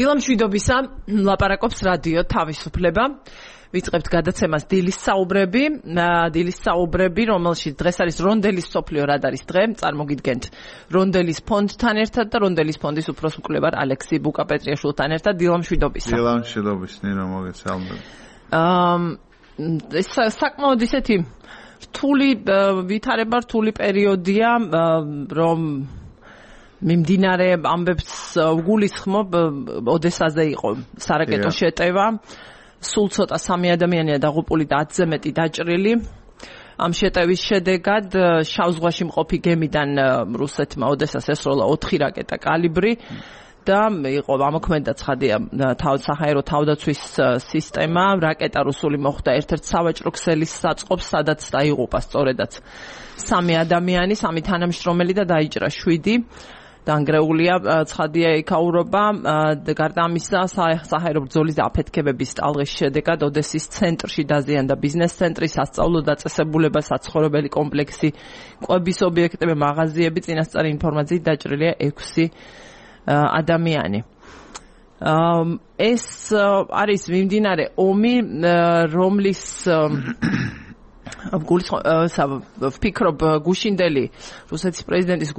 დილამშვიდობისა, ლაპარაკობს რადიო თავისუფლება. ვიწყებთ გადაცემას დილის საუბრები, რომელშიც დღეს არის რონდელის სოფლიო რადარის დღე. წარმოგიდგენთ რონდელის ფონდთან ერთად და რონდელის ფონდის უფროს მკვლევარ ალექსი ბუკაპეტრიაშვილთან ერთად. დილამშვიდობისა. დილამშვიდობის, ნინო, მოგესალმებით. ეს საკმაოდ ისეთი რთული პერიოდია, რომ მიმდინარე ამბებს ვგულისხმობ, ოდესაზე იყო სარაკეტო შეტევა. სულ ცოტა 3 ადამიანია დაღუპული და 10-ზე მეტი დაჭრილი. ამ შეტევის შედეგად შავ ზღვაში მყოფი გემიდან რუსეთმა ოდესას ესროლა 4 რაკეტა კალიბრი და იყო ამოქმედა ცხადია საჰაერო თავდაცვის სისტემა. რაკეტა რუსული მოხვდა ერთ-ერთ სავაჭრო ქსელის საწყობს, სადაც დაიღუპა სწორედაც 3 ადამიანი, 3 თანამშრომელი და დაიჭრა 7. დაანგრეულია ცხადია იქაურობა. გარდა ამისა, საჰაერო ბრძოლის და აფეთქებების ტალღის შედეგად ოდესის ცენტრში დაზიანდა ბიზნეს ცენტრი, სასწავლო დაწესებულება, საცხოვრებელი კომპლექსი, კვების ობიექტები, მაღაზიები. წინასწარი ინფორმაციით დაჭრილია 6 ადამიანი. ეს არის მიმდინარე ომი, რომლის ვფიქრობ გუშინდელი რუსეთის პრეზიდენტის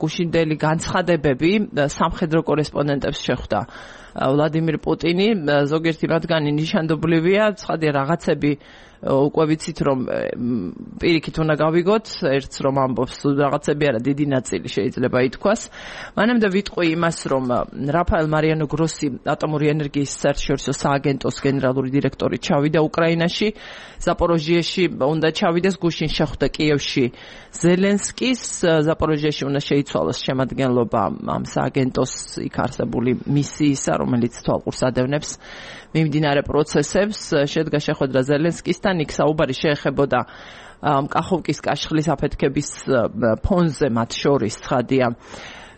გუშინდელი განცხადებები სამხედრო კორესპონდენტებს შეხვდა ვლადიმირ პუტინი. ზოგიერთი მათგანი ნიშანდობლივია, ცხადია რაღაცები უკვე ვიცით, რომ პირიქით უნდა გავიგოთ, ერთს რომ ამბობს, რაღაცები არა, დიდი ნაწილი შეიძლება ითქვას. მანამდე ვიტყვი იმას, რომ რაფაელ მარიანო გროსი, ატომური ენერგიის საერთაშორისო სააგენტოს გენერალური დირექტორი ჩავიდა უკრაინაში, ზაპოროჟიეში უნდა ჩავიდეს, გუშინ შეხვდა კიევში ზელენსკის, ზაპოროჟიეში უნდა შეიცვალოს შემადგენლობა ამ სააგენტოს იქ არსებული მისიისა, რომელიც თვალყურს ადევნებს მიმდინარე პროცესებს. შედგა შეხვედრა ზელენსკისთან, იქ საუბარი შეეხებოდა კახოვკის კაშხლის აფეთქების ფონზე, მათ შორის ცხადია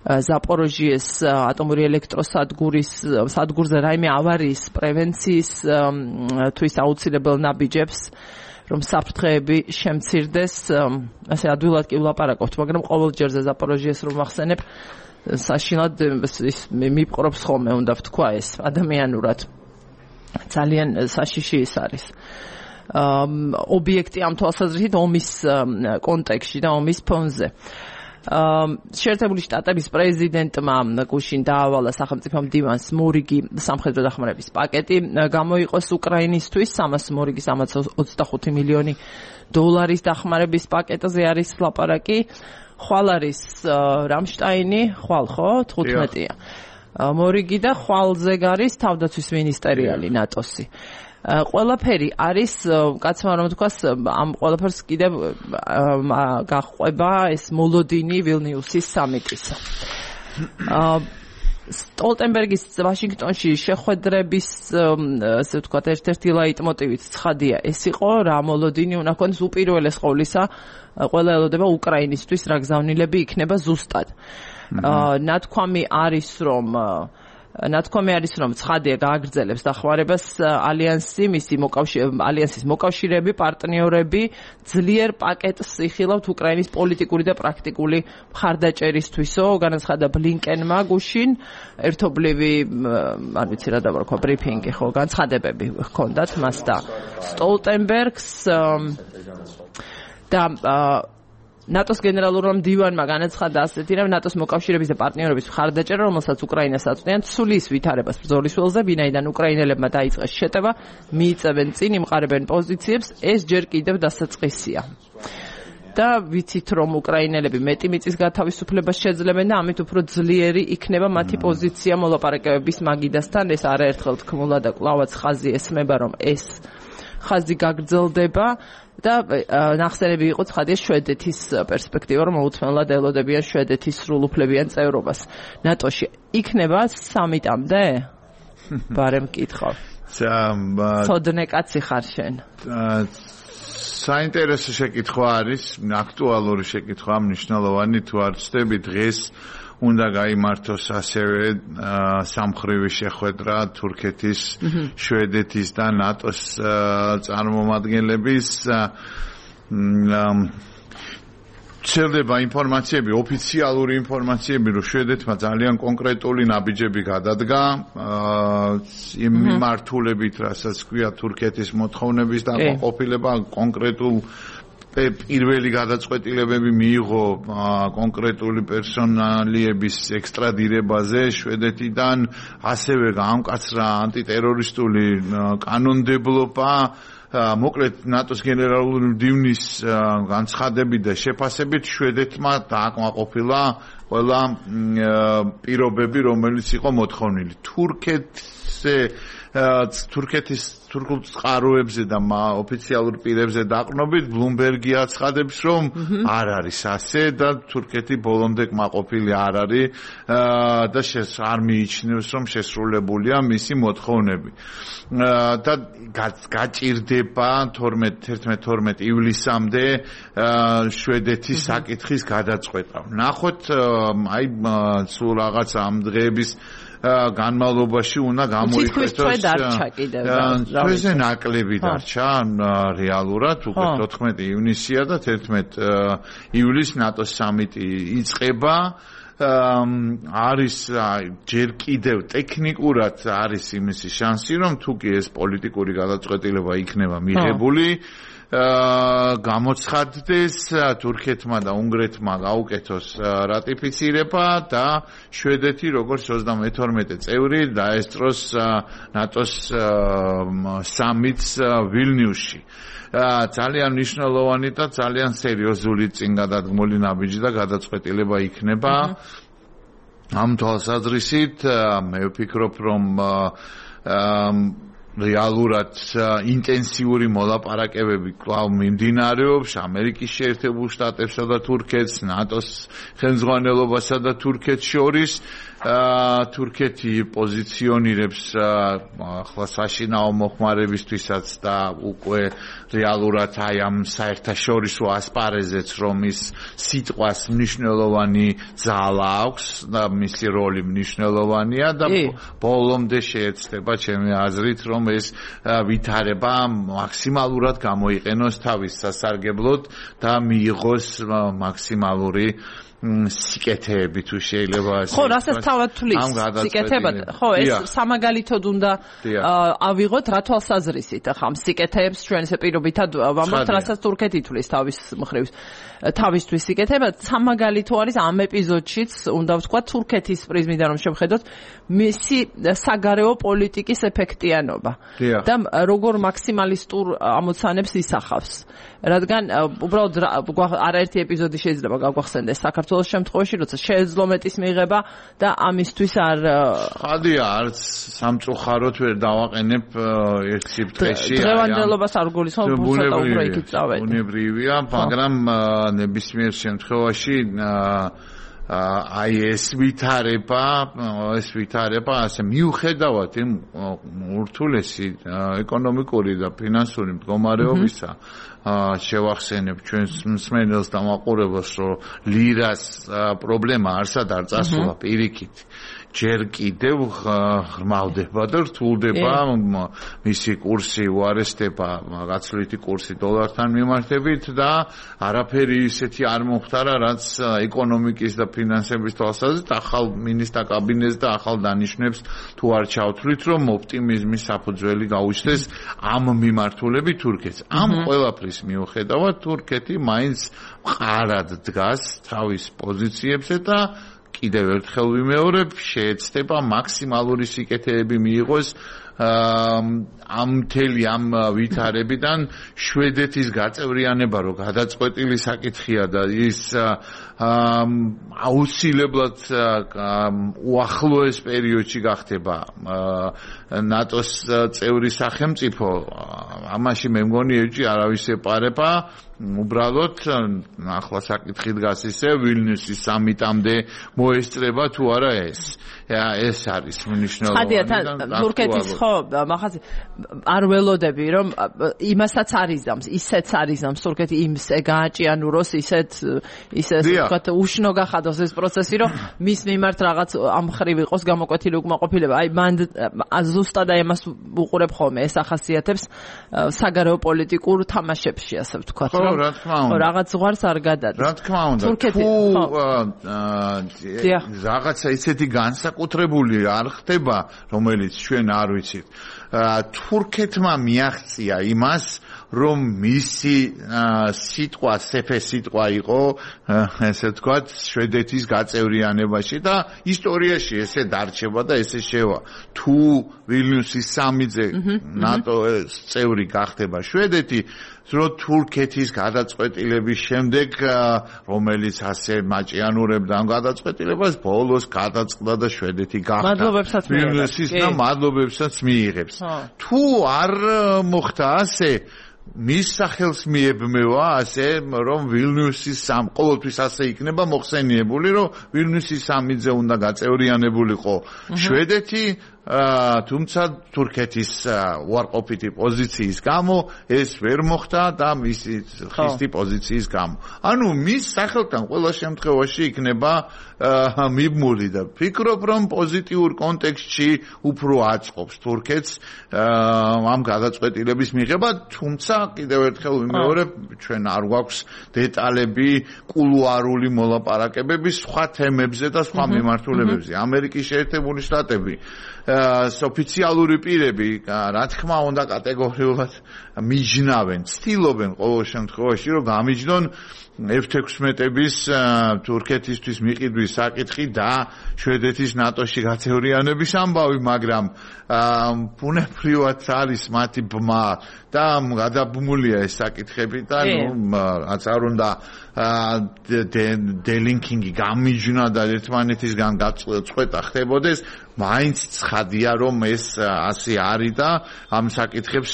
ზაპოროჟიეს ატომური ელექტროსადგურზე რაიმე ავარიის პრევენციის თვის აუცილებელ ნაბიჯებს, რომ საფრთხეები შემცირდეს. ასე ადვილად კი ვლაპარაკობთ, მაგრამ ყოველ ჯერზე ზაპოროჟიეს რომ ვახსენებ, საშინლად მიპყრობს ხოლმე, უნდა ვთქვა ეს ადამიანურად. ძალიან საშიში ის არის ობიექტი ამ თვალსაზრისით ომის კონტექსტში და ომის ფონზე. შეერთებული შტატების პრეზიდენტმა გუშინ დაავალა სახელმწიფო მდივანს მორიგი სამხედრო დახმარების პაკეტი გამოიყოს უკრაინისთვის. 300 მორიგი 325 მილიონი დოლარის დახმარების პაკეტზე არის ლაპარაკი. ხვალ არის რამშტაინი, ხვალ ხო 15-ია. მორიგი და ხვალზე არის თავდაცვის მინისტერიალი ნატოსი. ყველაფერი არის, კაცმა რომ თქვას, ამ ყველაფერს კიდევ გაჰყვება ეს მოლოდინი ვილნიუსის სამიტისა. სტოლტენბერგის ვაშინგტონში შეხვედრების, ასე ვთქვათ, ერთ-ერთი ლაიტმოტივით ცხადია ეს იყო, რა მოლოდინი უნდა ქონდეს უპირველეს ყოვლისა, ყველა ელოდება უკრაინისთვის რა გზავნილები იქნება ზუსტად. ნათქვამი არის, რომ ცხადია გააგრძელებს დახმარებას ალიანსი, ალიანსის მოკავშირეები, პარტნიორები ძლიერ პაკეტს იხილავთ უკრაინის პოლიტიკური და პრაქტიკული მხარდაჭერისთვისო. განაცხადა ბლინკენმა გუშინ, ერთობლივი, არ ვიცი რა დავარქვა, ბრიფინგი ხო, განცხადებები ჰქონდათ მას და სტოლტენბერგს და ნატოს გენერალურმა მდივანმა განაცხადა ასეთი, რომ ნატოს მოკავშირეების და პარტნიორების მხარდაჭერა, რომელსაც უკრაინას აწვდიან, ცვლის ვითარებას ბრძოლის ველზე, ვინაიდან უკრაინელებმა დაიწყეს შეტევა, მიიწევენ წინ, იმყარებენ პოზიციებს, ეს ჯერ კიდევ დასაწყისია. და ვიცით, რომ უკრაინელები მეტი მიწის გათავისუფლებას შეძლებენ და ამით უფრო ძლიერი იქნება მათი პოზიცია მოლაპარაკებების მაგიდასთან. ეს არაერთხელ თქმულა და კვლავაც ხაზი ესმება, რომ ეს ხაზი გაგრძელდება და ნახსენები იყო ცხადია შვედეთის პერსპექტივა, რომ მოუთმენლად ელოდებიან შვედეთის სრულუფლებიან წევრობას ნატოში. იქნება სამიტამდე? ბარემ მკითხავ. ცოდნე კაცი ხარ შენ. საინტერესო შეკითხვა არის, აქტუალური შეკითხვა, მნიშვნელოვანი თუ არ ვწდები დღეს უნდა გაიმართოს ასევე სამხრივი შეხვედრა თურქეთის, შვედეთის და ნატოს წარმომადგენლების ვრცელდება ინფორმაციები, ოფიციალური ინფორმაციები, რომ შვედეთმა ძალიან კონკრეტული ნაბიჯები გადადგა იმ მიმართულებით, რასაც ქვია თურქეთის მოთხოვნების დაყოფილება, კონკრეტულ პირველი გადაწყვეტილებები მიიღო კონკრეტული პერსონალიების ექსტრადირებაზე შვედეთიდან, ასევე გაამკაცრა ანტიტერორისტული კანონმდებლობა. მოკლედ ნატოს გენერალური მდივნის განცხადებით და შეფასებით შვედეთმა დააკმაყოფილა ყველა პირობები, რომელიც იყო მოთხოვნილი. თურქეთის თურქულ წყაროებზე და ოფიციალურ პირებზე დაყრდნობით ბლუმბერგი აცხადებს, რომ არ არის ასე და თურქეთი ბოლომდე კმაყოფილი არ არის და არ მიიჩნევს, რომ შესრულებულია მისი მოთხოვნები. და გაჭირდება 11-12 ივლისამდე შვედეთის საკითხის გადაწყვეტა. ნახოთ, აი სულ რაღაც ამ დღეების განმავლობაში უნდა გამოიყენოს თვეზე ნაკლები დარჩა რეალურად უკვე 14 ივნისია და 11 ივლისს ნატოს სამიტი იწყება არის ჯერ კიდევ ტექნიკურად არის იმისი შანსი რომ თუ კი ეს პოლიტიკური გადაწყვეტილება იქნება მიღებული გამოცხადდეს თურქეთმა და უნგრეთმა გაუკეთოს რატიფიცირება და შვედეთი როგორც 32 წევრი დაესწროს ნატოს სამიტს ვილნიუსში. ძალიან მნიშვნელოვანი და ძალიან სერიოზული წინგადადგმული ნაბიჯი და გადაწყვეტილება იქნება. ამ თვალსაზრისით მე ვფიქრობ რომ რეალურად ინტენსიური მოლაპარაკებები კვლავ მიმდინარეობს ამერიკის შეერთებულ შტატებსა და თურქეთს, ნატოს ხელმძღვანელობასა და თურქეთს შორის. თურქეთი პოზიციონირებს ახლა საშინაო მოხმარებისთვისაც და უკვე რეალურად აი ამ საერთაშორისო ასპარეზეც რომ ის სიტყვას მნიშვნელოვანი ძალა აქვს და მისი როლი მნიშვნელოვანია და ბოლომდე შეეცდება ჩემი აზრით რომ ეს ვითარება მაქსიმალურად გამოიყენოს თავის სასარგებლოდ და მიიღოს მაქსიმალური სიკეთეები თუ შეიძლება ასე. ხო, რასაც თავად თulis სიკეთებად. ხო, ეს სამაგალითოდ უნდა ავიღოთ რა თვალსაზრისით. ახლა ამ სიკეთეებს ჩვენ ესე პირობითად ვამბობთ, რასაც თურქეთი თulis თავისთვის სიკეთებად. სამაგალითო არის ამ ეპიზოდშიც, უნდა ვთქვა თურქეთის პრიზმიდან რომ შევხედოთ მისი საგარეო პოლიტიკის ეფექტიანობა და როგორ მაქსიმალისტურ ამოცანებს ისახავს. რადგან უბრალოდ არაერთი ეპიზოდი შეიძლება გაგვახსენდეს საქართველოს შემთხვევაში, როცა შეეძლო მეტის მიღება და ამისთვის არ ხადია არც სამწუხაროდ ვერ დავაყენებ ერთ სიფრთხეში. დღევანდელობას არ გულისხმობ, ცოტა უფრო იქით წავედი. უნებრივია, მაგრამ ნებისმიერ შემთხვევაში აი ეს ვითარება ასე მიუხედავად იმ ურთულესი ეკონომიკური და ფინანსური მდგომარეობისა შევახსენებ ჩვენს მსმენელს და მაყურებელს რომ ლირას პრობლემა არსად არ წასულა პირიქით ჯერ კიდევ ღრმავდება და რთულდება მისი კურსი უარესდება გაცვლითი კურსი დოლართან მიმართებით და არაფერი ისეთი არ მოხდარა რაც ეკონომიკის და ფინანსების თვალსაზრისით ახალ მინისტრთა კაბინეტს და ახალ დანიშნებს თუ არ ჩავთვლით რომ ოპტიმიზმის საფუძველი გაუჩნდეს ამ მიმართულებით თურქეთს ამ ყველაფრის მიუხედავად თურქეთი მაინც მყარად დგას თავის პოზიციებზე და კიდევ ერთხელ ვიმეორებ, შეეცდება მაქსიმალური სიკეთეები მიიღოს ამ მთელი ამ ვითარებიდან შვედეთის გაწევრიანება რო გადაწყვეტილი საკითხია და ის აუცილებლად უახლოეს პერიოდში გახდება ნატოს წევრი სახელმწიფო ამაში მე მგონი ეჭი არავის ეპარება უბრალოდ ახლა საკითხი დგას ისე ვილნიუსის სამიტამდე მოესწრება თუ არა ეს არის მნიშვნელოვანი და თურქეთის ხო მახაზი არ ველოდები რომ იმასაც არიზამს ისეც არიზამს თურქეთი იმსე გააჭიანუროს ისე ვთქვათ უშნო გახადოს ეს პროცესი რომ მის მიმართ რაღაც ამ ხრივ იყოს გამოკვეთილი უკმაყოფილება აი მან ზუსტად აი ამას უყურებ ხოლმე ეს ახასიათებს საგარეო პოლიტიკურ თამაშებში ასე ვთქვათ რომ რა თქმა უნდა. რაღაც ზღვარს არ გადადის. რა თქმა უნდა. თუ რაღაცა ისეთი განსაკუთრებული არ ხდება, რომელიც ჩვენ არ ვიცით. თურქეთმა მიაღწია იმას, რომ მისი სიტყვა სეფე სიტყვა იყო, ესე ვთქვათ, შვედეთის გაწევრიანებაში და ისტორიაში ესე დარჩება და ესე შევა. თუ ვილნიუსის სამიძე ნატოს წევრი გახდება შვედეთი, რომ თურქეთის გადაწყვეტილების შემდეგ, რომელიც ასე მაჭიანურებდა ამ გადაწყვეტილებას, ბოლოს გადაწყდა და შვედეთი გახდა. მადლობებსაც ვილნიუსის და მადლობებსაც მიიღებს. თუ არ მოხდა ასე, მის სახელს მიებმევა ასე, რომ ვილნიუსის ყოველთვის ასე იქნება მოხსენიებული, რომ ვილნიუსის სამიძე უნდა გაწევრიანებულიყო შვედეთი, თუმცა თურქეთის უარყოფითი პოზიციის გამო ეს ვერ მოხდა და მისი ხისტი პოზიციის გამო. ანუ მის სახელთან ყველა შემთხვევაში იქნება მიბმული და ფიქრობ, რომ პოზიტიურ კონტექსტში უფრო აწყობს თურქეთს ამ გადაწყვეტილების მიღება, თუმცა კიდევ ერთხელ ვიმეორებ, ჩვენ არ გვაქვს დეტალები კულუარული მოლაპარაკებების სხვა თემებზე და სხვა მიმართულებებზე. ამერიკის შეერთებული შტატები ოფიციალური პირები, რა თქმა უნდა, კატეგორიულად მიჯნავენ, ცდილობენ ყოველ შემთხვევაში, რომ გამიჯნონ F-16-ების თურქეთისთვის მიყიდვის საკითხი და შვედეთის ნატოში გაწევრიანების ამბავი, მაგრამ ბუნებრივად არის მათი ბმა და გადაბმულია ეს საკითხები და რაც არ უნდა დელინკინგი გამიჯნა და ერთმანეთისგან გაწყვეტა ხდებოდეს, მაინც ცხადია, რომ ეს ასე არის და ამ საკითხებს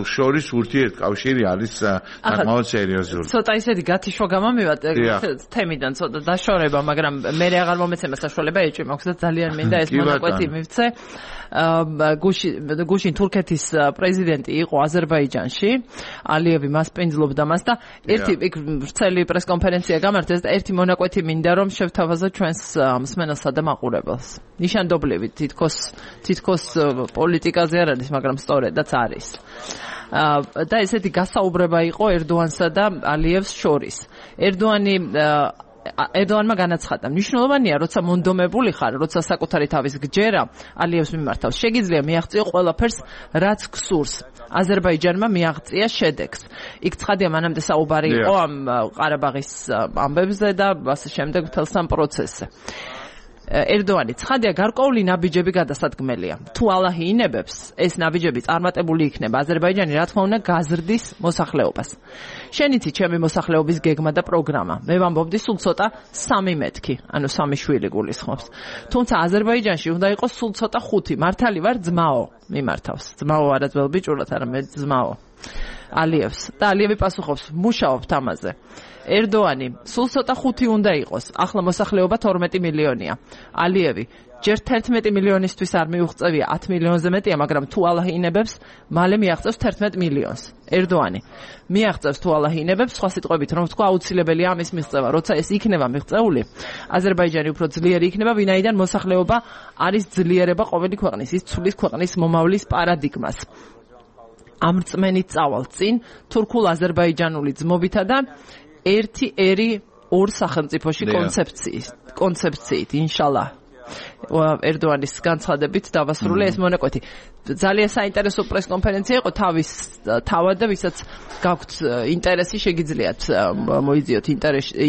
შორის ურთიერთკავშირი არის საკმაოდ სერიოზული. ცოტა ისეთი გათიშვა გამომივათ თემიდან, ცოტა დაშორება, მაგრამ მე აღარ მომეცემა საშუალება ეჭვი მაქვს და ძალიან მინდა ეს მონაკვეთი მივცე. გუშინ თურქეთის პრეზიდენტი იყო აზერბაიჯანში, ალიევი მას პინძლობდა მას და ერთი ვრცელი პრესკონფერენცია გამართეს და ერთი მონაკვეთი მინდა რომ შევთავაზო ჩვენს მსმენელსა და მაყურებელს. ნიშანდობლივი თითქოს პოლიტიკაზე არ არის, მაგრამ სწორედაც არის. და ესეთი გასაუბრება იყო ერდოანსა და ალიევს შორის. ერდოანმა განაცხადა, მნიშვნელოვანია, როცა მონდომებული ხარ, როცა საკუთარი თავის გჯერა ალიევს მიმართავს, შეგიძლია მიაღწიო ყველაფერს, რაც გსურს. აზერბაიჯანმა მიაღწია შედეგს. იქ ცხადია, მანამდე საუბარი იყო ამ ყარაბაღის ამბებზე და ასე შემდეგ მთელ სამ პროცესზე. ერდოანი ცხადია, გარკვეული ნაბიჯები გადასადგმელია. თუ ალაჰი ინებებს, ეს ნაბიჯები წარმატებული იქნება. აზერბაიჯანი, რა თქმა უნდა, გაზრდის მოსახლეობას. შენ იცი ჩემი მოსახლეობის გეგმა და პროგრამა. მე ვამბობდი სულ ცოტა 3 მეთქი, ანუ 3 შვილი გულისხმობს. თუმცა აზერბაიჯანში უნდა იყოს სულ ცოტა 5. მართალი ვარ, ძმაო მიმართავს. ძმაო არა ძველ ბიჭურად, არამედ ძმაო. ალიევს და ალიევი პასუხობს, მუშაობთ ამაზე. ერდოანი, სულ ცოტა 5 უნდა იყოს. ახლა მოსახლეობა 12 მილიონია. ალიევი, ჯერ 11 მილიონისთვის არ მიუღწევია, 10 მილიონზე მეტია, მაგრამ თუ ალაჰი ინებებს, მალე მიაღწევს 11 მილიონს. ერდოანი, მიაღწევს თუ ალაჰი ინებებს, სხვა სიტყვებით რომ ვთქვა, აუცილებელია ამის მიღწევა. როცა ეს იქნება მიღწეული, აზერბაიჯანი უფრო ძლიერი იქნება, ვინაიდან მოსახლეობა არის ძლიერება ყოველი ქვეყნის, ის ცulis ქვეყნის მომავლის პარადიგმას. ამ რწმენით წავალ წინ თურქულ-აზერბაიჯანული ძმობითა და ერთი ერი ორ სახელმწიფოში კონცეფციით, ინშალა. ერდოანის განცხადებით დავასრულე ეს მონაკვეთი. ძალიან საინტერესო პრესკონფერენცია იყო თავის თავად და ვისაც გაქვთ ინტერესი, შეგიძლიათ მოიძიოთ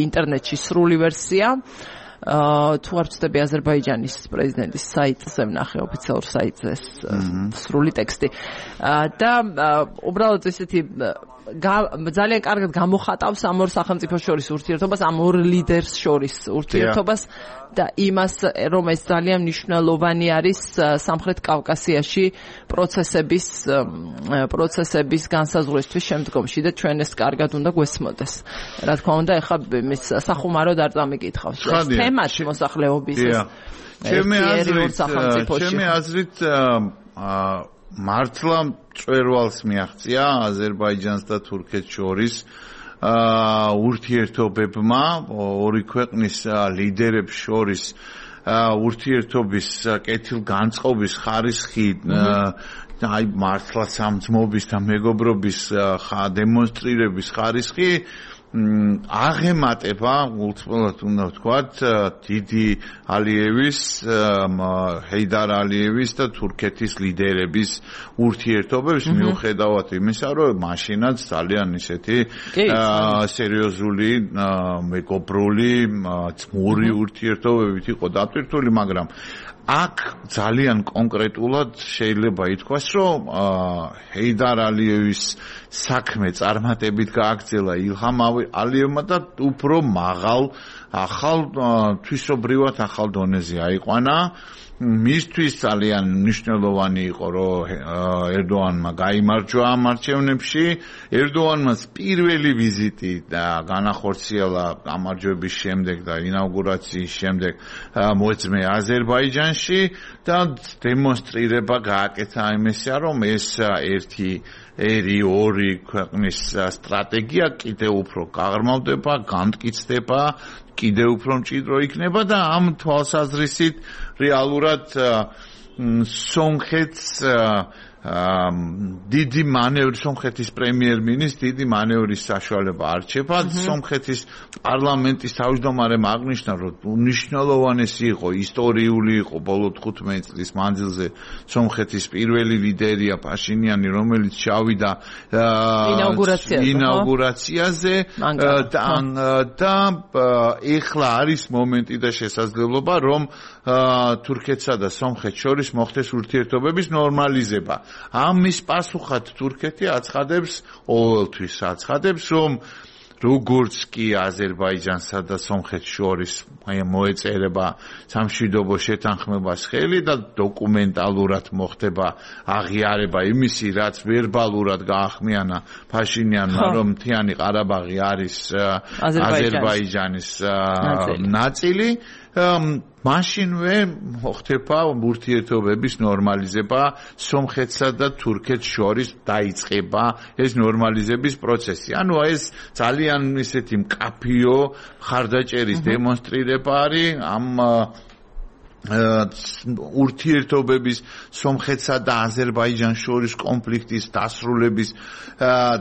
ინტერნეტში სრული ვერსია. თუ არ ვწდები აზერბაიჯანის პრეზიდენტის საიტზე ვნახე ოფიციალურ საიტზე სრული ტექსტი და უბრალოდ ესეთი ძალიან კარგად გამოხატავს ამ ორ სახელმწიფოს შორის ურთიერთობას, ამ ორ ლიდერს შორის ურთიერთობას და იმას, რომ ეს ძალიან მნიშვნელოვანი არის სამხრეთ კავკასიაში პროცესების განსაზღვრისთვის შემდგომში და ჩვენ ეს კარგად უნდა გვესმოდეს. რა თქმა უნდა, ეხლა მის სახუმაროდ არ წამიკითხავს. თემას მოსახლეობის ჩემი აზრით მართლა მწვერვალს მიაღწია აზერბაიჯანს და თურქეთს შორის ურთიერთობებმა, ორი ქვეყნის ლიდერებს შორის ურთიერთობის კეთილგანწყობის ხარისხი აი მართლაც ამ ძმობის და მეგობრობის დემონსტრირების ხარისხი აღემატება უბრალოდ უნდა ვთქვათ დიდი ალიევის ჰეიდარ ალიევის და თურქეთის ლიდერების ურთიერთობებს მიუხედავად იმისა რომ მაშინაც ძალიან ისეთი სერიოზული მეგობრული ძმური ურთიერთობებით იყო დატვირთული მაგრამ აქ ძალიან კონკრეტულად შეიძლება ითქვას, რომ ჰეიდარ ალიევის საქმე წარმატებით გააგრძელა ილჰამ ალიევმა და უფრო მაღალ ახალ თვისობრივად ახალ დონეზე აიყვანა. მისთვის ძალიან მნიშვნელოვანი იყო, რომ ერდოანმა გაიმარჯვა ამ არჩევნებში. ერდოანმაც პირველი ვიზიტი და განახორციელა გამარჯვების შემდეგ და ინაუგურაციის შემდეგ მოეწმე აზერბაიჯანში და დემონსტრირება გააკეთა იმისა, რომ ეს ორი ქვეყნის სტრატეგია კიდევ უფრო გაღრმავდება, განმტკიცდება კიდევ უფრო მჭიდრო იქნება და ამ თვალსაზრისით რეალურად სომხეთს დიდი მანევრი სომხეთის პრემიერ-მინისტრს დიდი მანევრის საშუალება არჩება სომხეთის პარლამენტის თავმჯდომარემ აღნიშნა რომ მნიშვნელოვანესი იყო ისტორიული იყო ბოლო 15 წლის მანძილზე სომხეთის პირველი ლიდერია პაშინიანი რომელიც ჩავიდა ინაუგურაციაზე და ეხლა არის მომენტი და შესაძლებლობა რომ თურქეთსა და სომხეთს შორის მოხდეს ურთიერთობების ნორმალიზება ამის პასუხად თურქეთი აცხადებს ყოველთვის აცხადებს რომ როგორც კი აზერბაიჯანსა და სომხეთს შორის მოეწერება სამშვიდობო შეთანხმებას ხელი და დოკუმენტალურად მოხდება აღიარება იმისი რაც ვერბალურად გაახმიანა ფაშინიანმა რომ მთიანი ყარაბაღი არის აზერბაიჯანის ნაწილი მაშინვე მოხდება ურთიერთობების ნორმალიზება სომხეთსა და თურქეთს შორის დაიწყება ეს ნორმალიზების პროცესი. ანუ ეს ძალიან ისეთი მკაფიო ხარდაჭერის დემონსტრირება არის ამ ურთიერთობების სომხეთსა და აზერბაიჯანს შორის კონფლიქტის დასრულების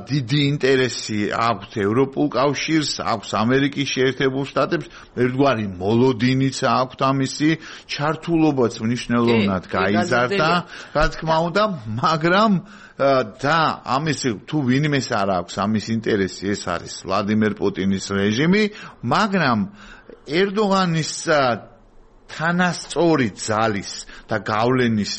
დიდი ინტერესი აქვს ევროპულ კავშირს, აქვს ამერიკის შეერთებულ შტატებს, ერთგვარი მოლოდინიც აქვს ამისი ჩართულობაც მნიშვნელოვნად გაიზარდა, რა თქმა უნდა, მაგრამ და ამის თუ ვინმეს არ აქვს ამის ინტერესი, ეს არის ვლადიმერ პუტინის რეჟიმი, მაგრამ ერდოღანის თანასწორი ძალის და გავლენის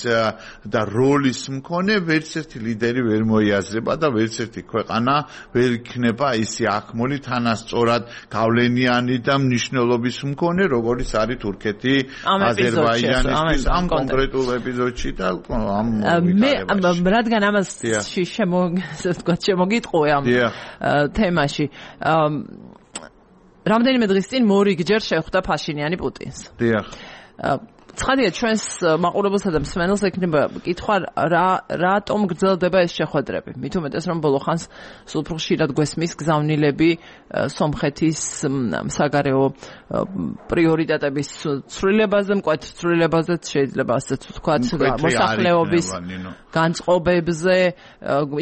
და როლის მქონე ვერცერთი ლიდერი ვერ მოიაზრება და ვერცერთი ქვეყანა ვერ იქნება ისე აქმული თანასწორად გავლენიანი და მნიშვნელობის მქონე როგორც არის თურქეთი აზერბაიჯანისთვის ამ კონკრეტულ ეპიზოდში და მე რადგან ამას შემოგიტყვე ამ თემაში რამდენიმე დღის წინ მორიგჯერ შეხვდა ფაშინიანი პუტინს. დიახ. ცხადია ჩვენს მაყურებელსა და მსმენელს ექნება კითხვა რატომ გრძელდება ეს შეხვედრები. მით უმეტეს რომ ბოლო ხანს სულ უფრო ხშირად გვესმის გზავნილები სომხეთის საგარეო პრიორიტეტების ცვლილებაზე, მკვეთ ცვლილებაზეც შეიძლება ასეც ვთქვათ, მოსახლეობის განწყობებზე,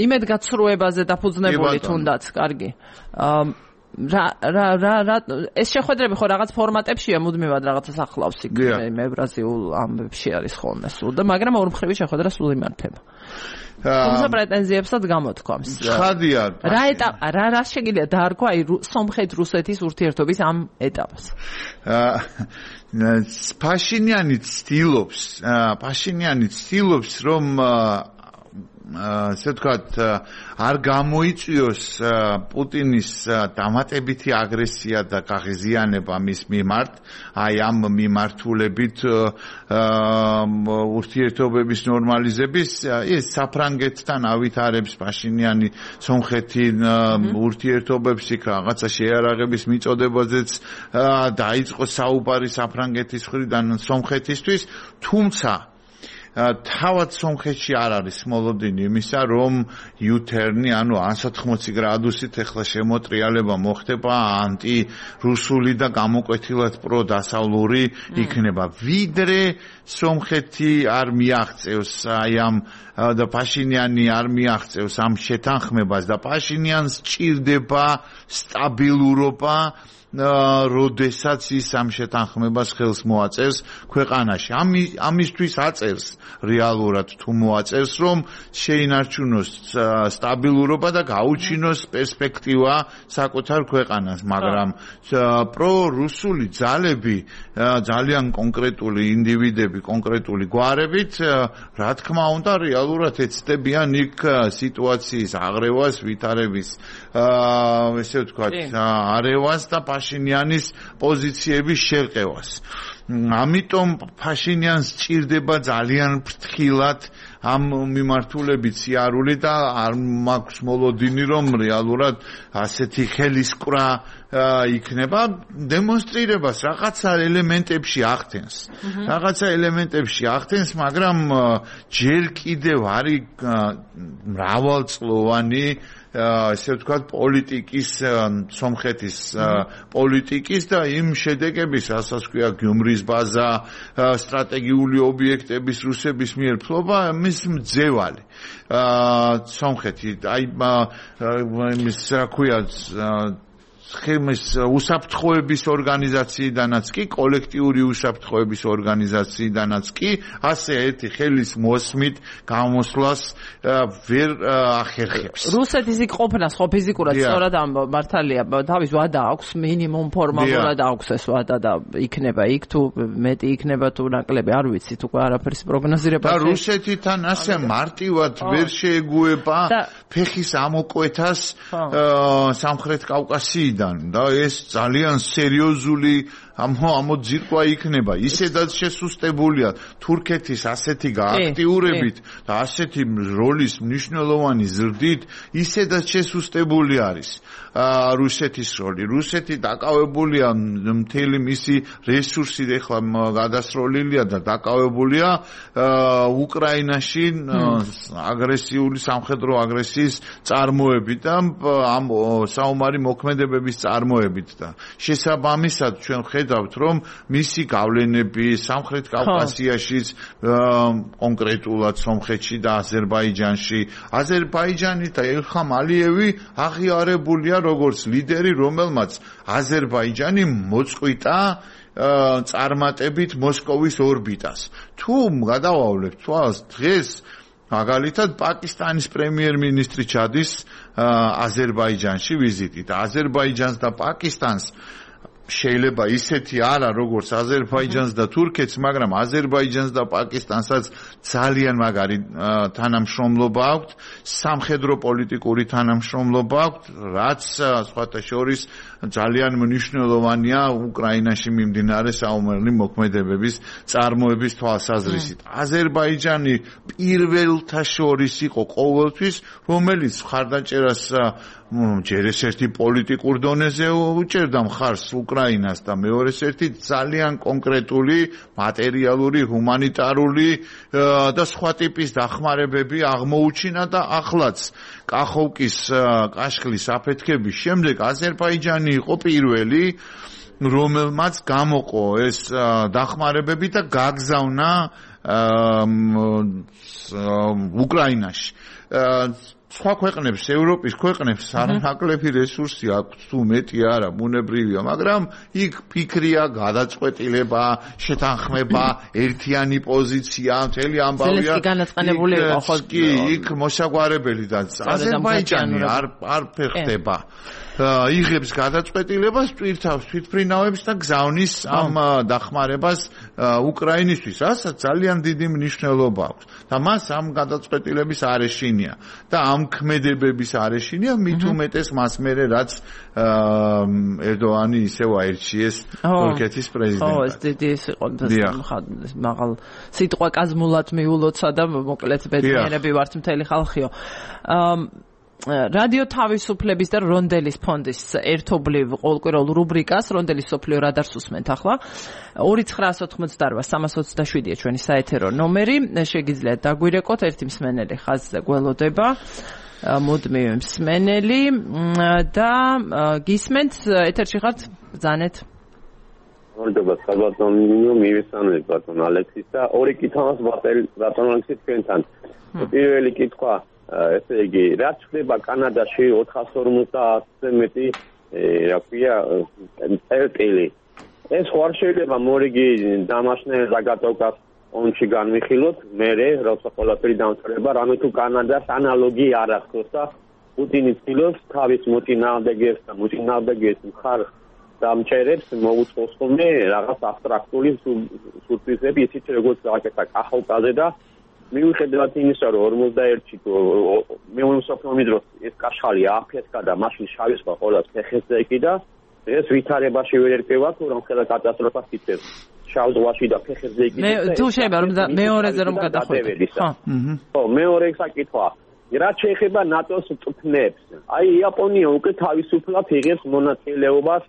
იმედგაცრუებაზე დაფუძნებული თუნდაც, კარგი. ეს შეხვედრები ხო რაღაც ფორმატებშია მუდმივად რაღაცას ახლავს იქ ევრაზიულ ამბებში არის ხოლმე სულ და მაგრამ ორმხრივი შეხვედრა სულ იმართება. თუმცა პრეტენზიებსაც გამოთქვამს. ხადია. რა შეგიძლია დაარქვა აი სომხეთ-რუსეთის ურთიერთობის ამ ეტაპს? პაშინიანი ცდილობს რომ ასე ვთქვათ არ გამოიწვიოს პუტინის დამატებითი აგრესია და გაღიზიანება მის მიმართ აი ამ მიმართულებით ურთიერთობების ნორმალიზების ეს საფრანგეთთან ავითარებს პაშინიანი სომხეთი ურთიერთობებს იქ რაღაცა შეარაღების მიწოდებაზეც დაიწყო საუბარი საფრანგეთის მხრიდან სომხეთისთვის თუმცა თავად სომხეთში არ არის მოლოდინი იმისა, რომ U-turn-ი, ანუ 180 გრადუსით ეხლა შემოტრიალება მოხდება ანტირუსული და გამოკვეთილად პროდასავლური იქნება. ვიდრე სომხეთი არ მიაღწევს აი ამ და პაშინიანი არ მიაღწევს ამ შეთანხმებას და პაშინიანს სჭირდება სტაბილურობა როდესაც ის ამ შეთანხმებას ხელს მოაწერს ქვეყანაში. ამისთვის აწერს რეალურად თუ მოაწერს, რომ შეინარჩუნოს სტაბილურობა და გაუჩინოს პერსპექტივა საკუთარ ქვეყანას, მაგრამ პრორუსული ძალები, ძალიან კონკრეტული ინდივიდები, კონკრეტული გვარებით, რა თქმა უნდა, რეალურად ეცდებიან იქ სიტუაციის აღრევას, ვითარების ესე ვთქვათ, არევას და პაშინიანის პოზიციების შერყევას. ამიტომ პაშინიანს სჭირდება ძალიან ფრთხილად ამ მიმართულებით სიარული და არ მაქვს მოლოდინი, რომ რეალურად ასეთი ხელისკვრა იქნება დემონსტრირებას რაღაცა ელემენტებში ახდენს. რაღაცა ელემენტებში ახდენს, მაგრამ ჯერ კიდევ არის მრავალწლოვანი ესე ვთქვათ პოლიტიკის სომხეთის პოლიტიკის და იმ შედეგების, რასაც ქვია გიუმრის ბაზა, სტრატეგიული ობიექტების რუსების მიერ ფლობა, მის მძევალი. სომხეთი აი იმის რა ქვია ხემის უსაფრთხოების ორგანიზაციიდანაც კი, კოლექტიური უსაფრთხოების ორგანიზაციიდანაც კი, ასე ერთი ხელის მოსმით გამოსვლას ვერ ახერხებს. რუსეთის იქ ყოფნას ხო ფიზიკურად სწორად ამ მართალია, თავის ვადა აქვს, მინიმუმ ფორმალურად აქვს ეს ვადა და იქნება იქ თუ მეტი იქნება თუ ნაკლები, არ ვიცით უკვე არაფერს პროგნოზირება. და რუსეთთან ასე მარტივად ვერ შეეგუება ფეხის ამოკვეთას სამხრეთ კავკასიიდან. და ეს ძალიან სერიოზული ამოძირკვა იქნება. ისედაც შესუსტებულია თურქეთის ასეთი გააქტიურებით და ასეთი როლის მნიშვნელოვანი ზრდით, ისედაც შესუსტებული არის რუსეთის როლი. რუსეთი დაკავებულია მთელი მისი რესურსით ახლა გადასროლილია და დაკავებულია უკრაინაში აგრესიული სამხედრო აგრესიის წარმოებით და ამ საომარი მოქმედებების წარმოებით და შესაბამისად ჩვენ ხედავთ, რომ მისი გავლენები სამხრეთ კავკასიაშიც, კონკრეტულად სომხეთში და აზერბაიჯანში, აზერბაიჯანი და ილხამ ალიევი აღიარებულია როგორც ლიდერი, რომელმაც აზერბაიჯანი მოწყვიტა წარმატებით მოსკოვის ორბიტას. თუ გადავავლებთ თვალს დღეს მაგალითად პაკისტანის პრემიერ-მინისტრი ჩადის აზერბაიჯანში ვიზიტით. აზერბაიჯანს და პაკისტანს შეიძლება ისეთი არა როგორც აზერბაიჯანს და თურქეთს, მაგრამ აზერბაიჯანს და პაკისტანსაც ძალიან მაგარი თანამშრომლობა აქვთ, სამხედრო პოლიტიკური თანამშრომლობა აქვთ, რაც სხვათა შორის ძალიან მნიშვნელოვანია უკრაინაში მიმდინარე საომარი მოქმედებების წარმოების თვალსაზრისით. აზერბაიჯანი პირველთა შორის იყო ყოველთვის, რომელიც მხარდაჭერას ჯერ ერთ-ერთი პოლიტიკურ დონეზე უჭერდა მხარს უკრაინას და მეორე ერთი ძალიან კონკრეტული მატერიალური, ჰუმანიტარული და სხვა ტიპის დახმარებები აღმოუჩინა და ახლაც კახოვკის კაშხლის აფეთქების შემდეგ აზერბაიჯანი იყო პირველი, რომელმაც გამოყო ეს დახმარებები და გაგზავნა უკრაინაში. სხვა ქვეყნებს, ევროპის ქვეყნებს არანაკლები რესურსი აქვს, თუ მეტი არა, ბუნებრივია, მაგრამ იქ ფიქრია, გადაწყვეტილება, შეთანხმება, ერთიანი პოზიცია, მთელი ამბავია. ზელენსკი განაწყენებული იყო ხო? კი, იქ მოსაგვარებელი და აზერბაიჯანი არ ფეხდება. იღებს გადაწყვეტილებას, ტვირთავს თვითმფრინავებს და გზავნის ამ დახმარებას უკრაინისთვის, რასაც ძალიან დიდი მნიშვნელობა აქვს. და მას ამ გადაწყვეტილების არეშინია და ამ ქმედებების არეშინია, მით უმეტეს მას მერე რაც ერდოანი ისევ აირჩიეს თურქეთის პრეზიდენტად. ეს დიდი იყო მაღალ სიტყვა კაზმულად მიულოცა და მოკლედ ბედნიერები ვართ მთელი ხალხიო. რადიო თავისუფლების და რონდელის ფონდის ერთობლივ ყოველკვირეულ რუბრიკას რონდელის სოფლიო რადარს უსმენთ ახლა 2988-327-ია ჩვენი საეთერო ნომერი შეგიძლიათ დაგვირეკოთ ერთი მსმენელი ხაზზე გველოდება მუდმივი მსმენელი და გისმენთ ეთერში ხართ ბრძანეთ მოგდება საბატონო მივესალმებით ბატონ ალექსის და ორი კითხვას ბატონ ალექსის თქვენთან პირველი კითხვა ესე იგი რაც ხდება კანადაში 450-ზე მეტი რა ქვია წერტილი ეს ხარ შეიძლება მორიგი დამაშნე ზაგატოვკას ონში განვიხილოთ მე როცა ყველაფერი დამწრება რამე თუ კანადას ანალოგი არ ახსოვს და პუტინი ცდილობს თავის მოწინააღმდეგეს და მოწინააღმდეგეს მხარ დამჭერებს მოუწყოს ხოლმე რაღაც აბსტრაქტული სურპრიზები ისიც როგორც გაკეთა კახალკაზე და მიუხედავად იმისა რომ 41-ში მეორე მსოფლიო დროს ეს კაშხალი აფეთქა და მაშინ შავი სხვა ყოველას ფეხებზე ეკიდა ეს ვითარებაში ვერ ერკვევა თუ რომ ხელა კატასტროფას იწევს შავ ზღვაში და ფეხებზე ეკიდა თუ შეიძლება რომ მეორეზე რომ გადახვიდეთ ხო მეორე საკითხვა რაც შეეხება ნატოს წვნებს აი იაპონია უკვე თავისუფლად იღებს მონაწილეობას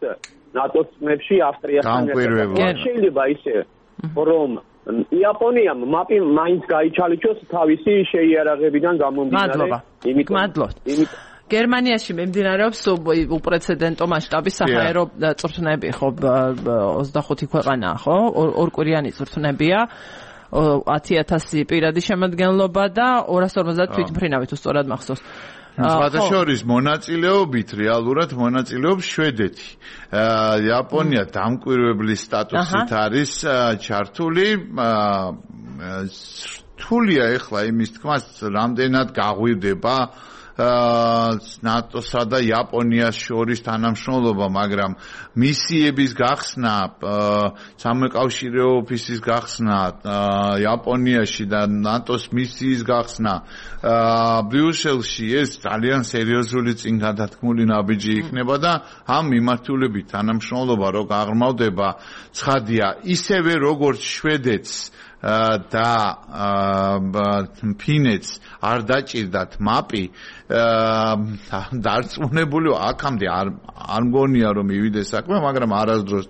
ნატოს წვნებში ავსტრიასთან ერთად შეიძლება ისე რომ იაპონიამ მაპი მაინც გაიჩალიჩოს თავისი შეიარაღებიდან გამომდინარე მადლობთ გერმანიაში მიმდინარეობს უპრეცედენტო მასშტაბის საჰაერო წვრთნები ხო 25 ქვეყანაა ხო ორკვირიანი წვრთნებია 10000 პირადი შემადგენლობა და 250 თვითმფრინავი თუ სწორად მახსოვს სხვადასხვა მონაწილეობით რეალურად მონაწილეობს შვედეთი. იაპონია დამკვირვებლის სტატუსით არის ჩართული. რთულია ეხლა იმის თქმას, რამდენად გაღვივდება ნატოსა და იაპონიას შორის თანამშრომლობა, მაგრამ მისიების გახსნა, სამეკავშირეო ოფისის გახსნა იაპონიაში და ნატოს მისიის გახსნა ბრიუსელში ეს ძალიან სერიოზული წინგადათქმული ნაბიჯი იქნება და ამ მიმართულებით თანამშრომლობა რო გაღრმავდება, ცხადია, ისევე როგორც შვედეთს და ფინეთს არ დაჭირდათ მაპი დარწმუნებული აქამდე არ მგონია რომ მივიდეს საქმე, მაგრამ არასდროს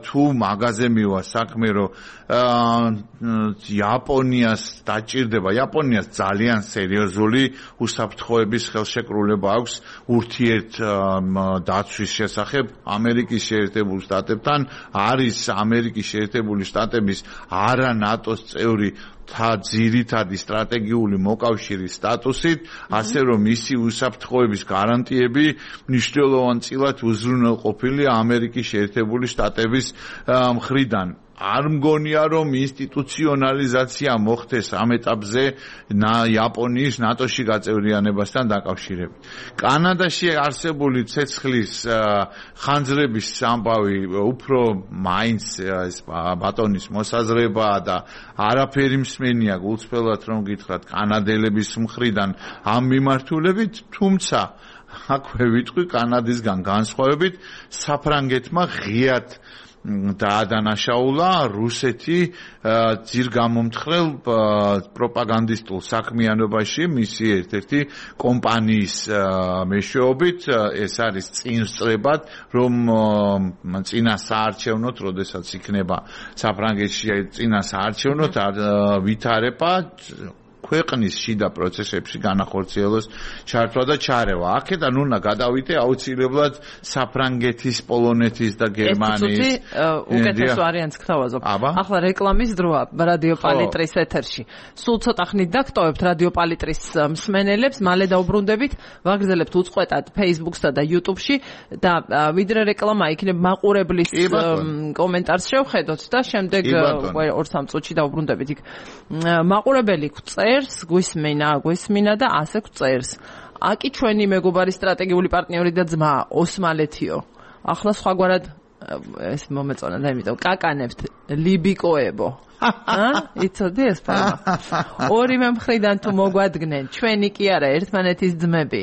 თუ მაგაზე მივა საქმე რომ იაპონიას დაჭირდება, იაპონიას ძალიან სერიოზული უსაფრთხოების ხელშეკრულება აქვს ურთიერთ დაცვის შესახებ ამერიკის შეერთებულ შტატებთან, არის ამერიკის შეერთებული შტატების არა ნატოს წევრი ძირითადი სტრატეგიული მოკავშირის სტატუსით, ასე რომ მისი უსაფრთხოების გარანტიები მნიშვნელოვანწილად უზრუნველყოფილია ამერიკის შეერთებული შტატების მხრიდან. არ მგონია რომ ინსტიტუციონალიზაცია მოხდეს ამ ეტაპზე იაპონიის ნატოში გაწევრიანებასთან დაკავშირებით. კანადაში არსებული ცეცხლის ხანძრების ამბავი უფრო მაინც ეს ბატონის მოსაზრებაა და არაფერი მსმენია გულწრფელად რომ გითხრათ კანადელების მხრიდან ამ მიმართულებით, თუმცა აქვე ვიტყვი კანადისგან განსხვავებით საფრანგეთმა ღიად დაადანაშაულა რუსეთი ძირგამომთხრელ პროპაგანდისტულ საქმიანობაში მისი ერთ-ერთი კომპანიის მეშვეობით ეს არის წინსწრებად რომ წინა საარჩევნოთ როდესაც იქნება საფრანგეთში წინა საარჩევნოთ ვითარება ქვეყნის შიდა პროცესებში განახორციელოს ჩართვა და ჩარევა. აქედან უნდა გადავიდე აუცილებლად საფრანგეთის, პოლონეთის და გერმანიის. უკეთეს ვარიანტს გთავაზობ. ახლა რეკლამის დროა რადიო პალიტრის ეთერში. სულ ცოტა ხნით დაგტოვებთ რადიო პალიტრის მსმენელებს, მალე დაუბრუნდებით, ვაგრძელებთ უწყვეტად Facebook-სა და YouTube-ში და ვიდრე რეკლამა იქნება მაყურებლის კომენტარს შევხედოთ და შემდეგ 2-3 წუთში დაუბრუნდებით იქ. მაყურებელი გვისმინა და ასე გვწერს. აკი ჩვენი მეგობარი სტრატეგიული პარტნიორი და ძმა ოსმალეთიო. ახლა სხვაგვარად ეს მომეწონა და იმიტომ კაკანებთ ლიბიკოებო. იცოდი ეს პარმა. ორივე მხრიდან თუ მოგვადგნენ, ჩვენი კი არა ერთმანეთის ძმები.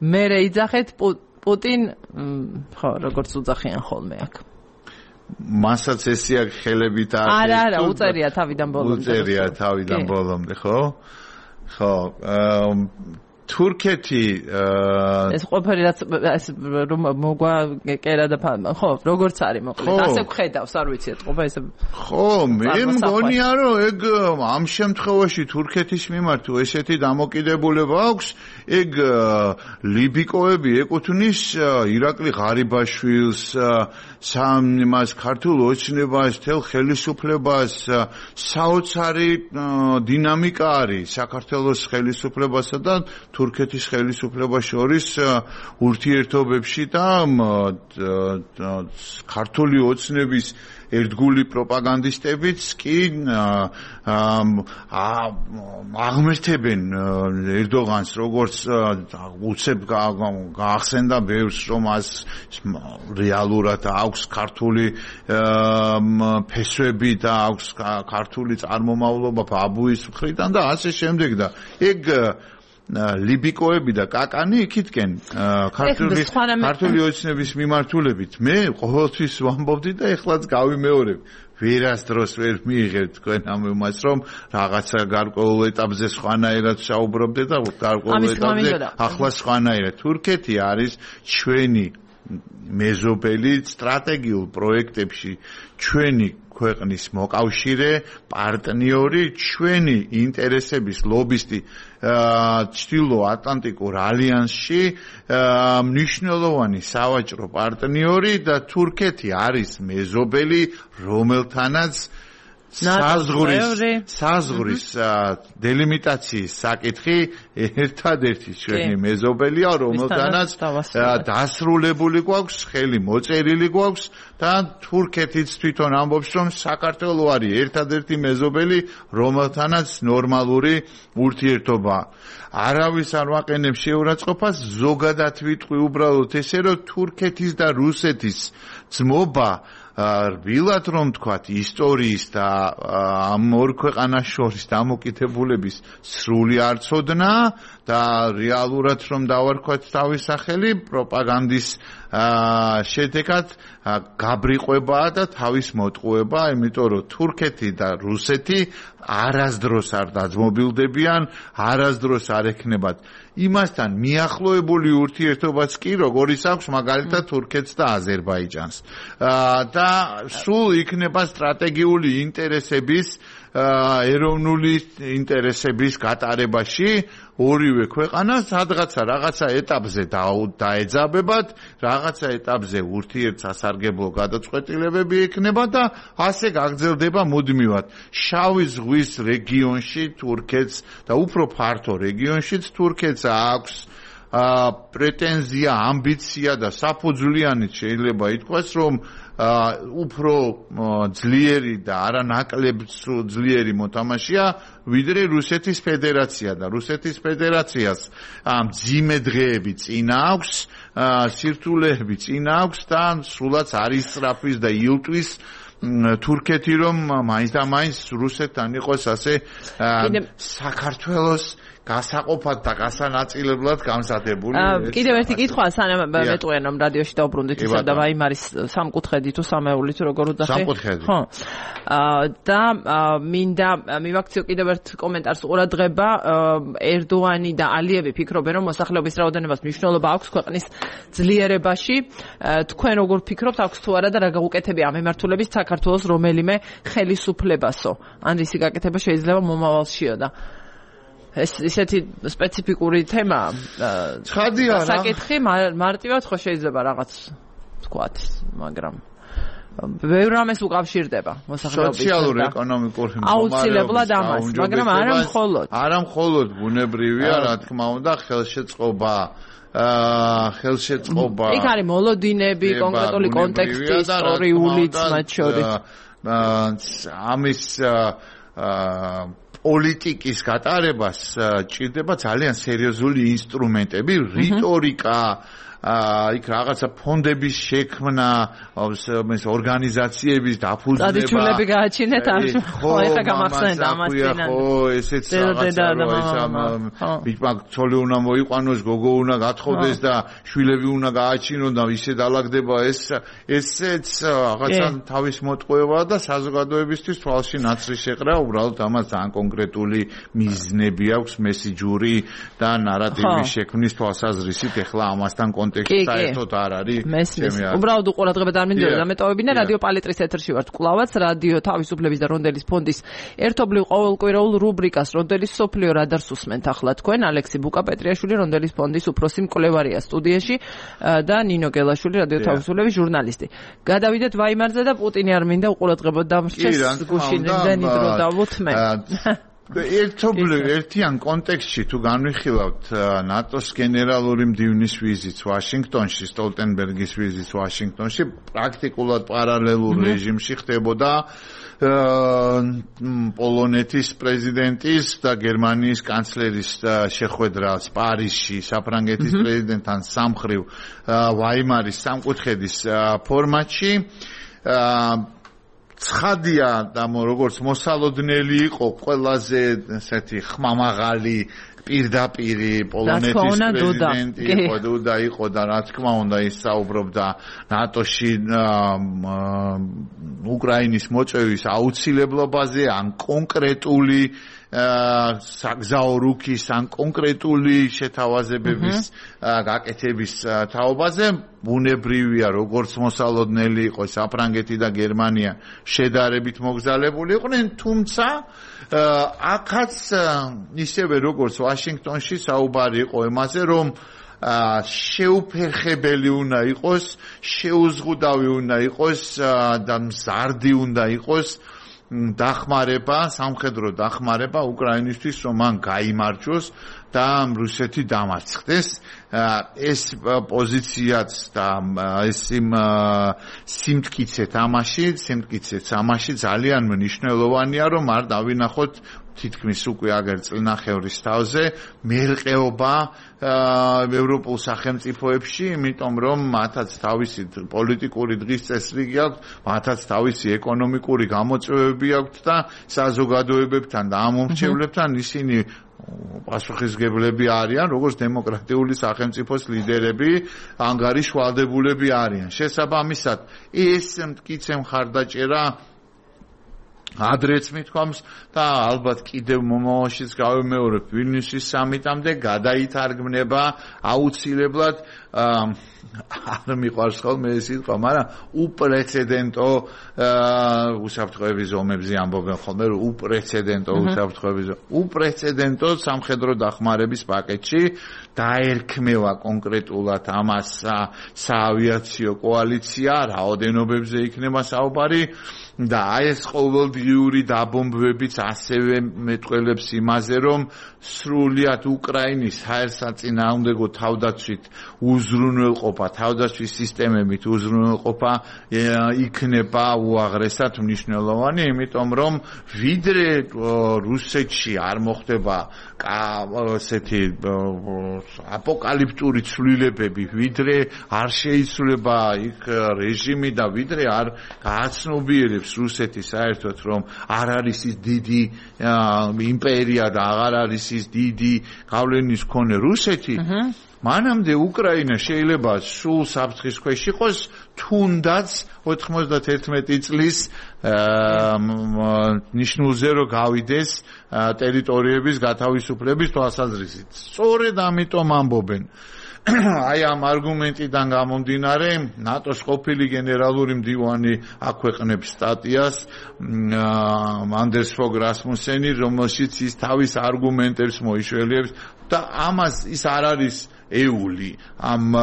მერე იძახეთ პუტინ, ხო, როგორც უძახიან ხოლმე აქ. მასაც ესე აქ ხელებით არა, უწერია თავიდან ბოლომდე. უწერია თავიდან ბოლომდე, ხო? ხო, თურქეთი ეს ყოფილი რაც ეს რომ მოგვა კერა და ხო როგორც არის მოკლედ ასე ვხედავს არ ვიცი ეთყობა ესე ხო მე მგონია რომ ეგ ამ შემთხვევაში თურქეთის მიმართ ესეთი დამოკიდებულება აქვს ეგ ლიბიკოები ეკუთვნის ირაკლი ღარიბაშვილს სამას ქართულ ოცნებას თელ ხელისუფლებას საოცარი დინამიკა არის საქართველოს ხელისუფლებასა და თურქეთის ხელისუფლებას შორის ურთიერთობებში და ქართული ოცნების ერთგული პროპაგანდისტებიც კი აღმერთებენ ერდოღანს როგორც უცებ გაახსენდა ბევრს რომ ას რეალურად აქვს ქართული ფესვები და აქვს ქართული წარმომავლობა ბაბუის მხრიდან და ასე შემდეგ და ეგ ლიბიკოები და კაკანი იქითკენ ქართული ოცნების მიმართულებით მე ყოველთვის ვამბობდი და ეხლაც გავიმეორებ ვერასდროს ვერ მიიღებთ თქვენ ამ იმას რომ რაღაცა გარკვეულ ეტაპზე სხვანაირად საუბრობდე და გარკვეულ ეტაპზე ახლა სხვანაირად თურქეთი არის ჩვენი მეზობელი სტრატეგიულ პროექტებში ჩვენი ქვეყნის მოკავშირე პარტნიორი ჩვენი ინტერესების ლობისტი ჩრდილო ატლანტიკურ ალიანსში მნიშვნელოვანი სავაჭრო პარტნიორი და თურქეთი არის მეზობელი რომელთანაც საზღვრის დელიმიტაციის საკითხი ერთადერთი ჩვენი მეზობელია რომელთანაც დასრულებული გვაქვს ხელი მოწერილი გვაქვს და თურქეთიც თვითონ ამბობს რომ საქართველო არის ერთადერთი მეზობელი რომელთანაც ნორმალური ურთიერთობა არავის არ ვაყენებს შეურაცხყოფას ზოგადად ვიტყვი უბრალოდ ესე რომ თურქეთის და რუსეთის ძმობა რბილად რომ თქვათ ისტორიის და ამ ორ ქვეყანას შორის დამოკიდებულების სრული არცოდნა და რეალურად რომ დავარქვათ თავის სახელი პროპაგანდის შედეგად გაბრიყვებაა და თავის მოტყუება, იმიტომ რომ თურქეთი და რუსეთი არასდროს არ დაძმობილდებიან, არასდროს არ ექნებათ იმასთან მიახლოებული ურთიერთობაც კი როგორიც აქვს მაგალითად თურქეთს და აზერბაიჯანს და სულ იქნება სტრატეგიული ინტერესების ეროვნული ინტერესების გატარებაში ორივე ქვეყანას რაღაცა ეტაპზე დაეძაბებათ, რაღაცა ეტაპზე ურთიერთსასარგებლო გადაწყვეტილებები ექნება და ასე გაგრძელდება მუდმივად. შავი ზღვის რეგიონში თურქეთს და უფრო ფართო რეგიონშიც თურქეთს აქვს პრეტენზია, ამბიცია და საფუძვლიანით შეიძლება ითქვას, რომ უფრო ძლიერი და არანაკლებ ძლიერი მოთამაშეა ვიდრე რუსეთის ფედერაცია და რუსეთის ფედერაციას მძიმე დღეები წინა აქვს, სირთულეები წინა აქვს და სულაც არის სწრაფვის და ილტვის თურქეთი რომ მაინც და მაინც რუსეთთან იყოს ასე საქართველოს გასაყოფად და გასანაწილებლად გამზადებული. კიდევ ერთი კითხვა, სანამ მეტყვიან რომ რადიოში დაუბრუნდით ისა და ვაიმარის სამკუთხედი თუ სამეული თუ როგორ უძახე. სამკუთხედი. ხო. და მინდა მივაქციო კიდევ ერთ კომენტარს ყურადღება, ერდოანი და ალიევი ფიქრობენ რომ მოსახლეობის რაოდენობას მნიშვნელობა აქვს ქვეყნის ძლიერებაში. თქვენ როგორ ფიქრობთ, აქვს თუ არა და რა გაუკეთებია ამ მიმართულებით საქართველოს რომელიმე ხელისუფლებასო? ან რისი გაკეთება შეიძლება მომავალშიო და ეს ისეთი სპეციფიკური თემაა. ცხადია რა. საკითხი მარტივად ხო შეიძლება რაღაც თქვათ, მაგრამ ბევრ რამეს უკავშირდება მოსახლეობის სოციალურ-ეკონომიკურ აუცილებლად ამას, მაგრამ არა მხოლოდ ბუნებრივია, რა თქმა უნდა, ხელშეწყობა იქ არის მოლოდინები, კონკრეტული კონტექსტი, ისტორიულიც მათ შორის. ამის პოლიტიკის გატარებას ჭირდება ძალიან სერიოზული ინსტრუმენტები, რიტორიკა, იქ რაღაცა ფონდების შექმნა, ორგანიზაციების დაფუძნება. ტრადიციულები გააჩინეთ ამ ხო ეხა გამახსენდა ამას წინან. ხო, ესეც რაღაცა ბიჭმა ცოლი უნდა მოიყვანოს, გოგო უნდა გათხოვდეს და შვილები უნდა გააჩინონ და ისე დაალაგდება ესეც რაღაცა თავის მოტყუება და საზოგადოებისთვის თვალში ნაცრის შეყრა, უბრალოდ ამას ძალიან კონკრეტული მიზნები აქვს, მესიჯური და ნარატივის შექმნის თვალსაზრისით. ეხლა ამასთან კონტექსტი საერთოდ არ არის. უბრალოდ უყურადღება არ მინდოდა დამეტოვებინა რადიო პალიტრის ეთერში ვართ კვლავაც რადიო თავისუფლების და რონდელის ფონდის ერთობლივ ყოველკვირეულ რუბრიკას რონდელის სოფლიო რადარს უსმენთ ახლა თქვენ ალექსი ბუკა-პეტრიაშვილი რონდელის ფონდის უფროსი მკვლევარია სტუდიაში და ნინო გელაშვილი რადიო თავისუფლების ჟურნალისტი. გადავიდეთ ვაიმარზე და პუტინი არ მინდა უყურადღება დამრჩეს გუშინ იმდენი დრო დავუთმე. ერთიან კონტექსტში თუ განვიხილავთ ნატოს გენერალური მდივნის ვიზიტს ვაშინგტონში, სტოლტენბერგის ვიზიტს ვაშინგტონში, პრაქტიკულად პარალელურ რეჟიმში ხდებოდა პოლონეთის პრეზიდენტის და გერმანიის კანცლერის შეხვედრა პარიზში საფრანგეთის პრეზიდენტთან სამხრივ ვაიმარის სამკუთხედის ფორმატში. ცხადია და როგორც მოსალოდნელი იყო ყველაზე ესეთი ხმამაღალი პირდაპირი პოლონეთის პრეზიდენტი იყო დუდა იყო და რა თქმა უნდა ის საუბრობდა ნატოში უკრაინის მოწვევის აუცილებლობაზე ან კონკრეტული საგზაო რუქის ან კონკრეტული შეთავაზებების გაკეთების თაობაზე ბუნებრივია როგორც მოსალოდნელი იყო საფრანგეთი და გერმანია შედარებით მოგზაურებული იყვნენ თუმცა აქაც ისევე როგორც ვაშინგტონში საუბარი იყო იმაზე რომ შეუფერხებელი უნდა იყოს შეუზღუდავი უნდა იყოს და მზარდი უნდა იყოს დახმარება, სამხედრო დახმარება უკრაინისთვის, რომ მან გაიმარჯვოს და რუსეთი დამარცხდეს. ეს პოზიციაც და ეს სიმტკიცე თამაში ძალიან მნიშვნელოვანია, რომ არ დავინახოთ თითქმის უკვე აგერ წლნახევრის თავზე მერყეობა ევროპულ სახელმწიფოებში, იმიტომ რომ მათაც თავისი პოლიტიკური დღის წესრიგი აქვს, მათაც თავისი ეკონომიკური გამოწვევები აქვთ და საზოგადოებებთან და ამომრჩევლებთან ისინი პასუხისმგებლები არიან, როგორც დემოკრატიული სახელმწიფოს ლიდერები, ანგარიშვალდებულები არიან. შესაბამისად, ეს მტკიცე მხარდაჭერა ადრეც მithქვამს და ალბათ კიდევ მომავალშიც გავიმეორებ ვილნიუსის სამიტამდე გადაითარგმნება აუცილებლად არ მიყვარს ხოლმე ეს სიტყვა, მაგრამ უპრეცედენტო უსაფრთხოების ზომებზე ამბობენ ხოლმე, რომ უპრეცედენტო სამხედრო დახმარების პაკეტში დაერქმევა კონკრეტულად ამას საავიაციო კოალიცია, რაოდენობებზე იქნება საუბარი და ეს ყოველდღიური დაბომბვებიც ასევე მეტყველებს იმაზე, რომ სრულიად უკრაინის საერთაშორისო თავდაცვით უზრუნველყოფა, თავდაცვის სისტემებით უზრუნველყოფა იქნება უაღრესად მნიშვნელოვანი, იმიტომ რომ ვიდრე რუსეთში არ მოხდება ესეთი აპოკალიფტური ცვლილებები, ვიდრე არ შეიცვლება იქ რეჟიმი და ვიდრე არ გააცნობიერებს რუსეთი საერთოდ რომ არ არის ის დიდი იმპერია და აღარ არის ის დიდი გავლენის მქონე რუსეთი, მანამდე უკრაინა შეიძლება სულ საფრთხის ქვეშ იყოს, თუნდაც 91 წლის ნიშნულზე რომ გავიდეს ტერიტორიების გათავისუფლების თვალსაზრისით. სწორედ ამიტომ ამბობენ. აი ამ არგუმენტიდან გამომდინარე, ნატოს ყოფილი გენერალური მდივანი აქვეყნებს სტატიას ანდერს ფოგ რასმუსენი, რომელშიც ის თავის არგუმენტებს მოიშველიებს და ამას ის არ არის ეული ამ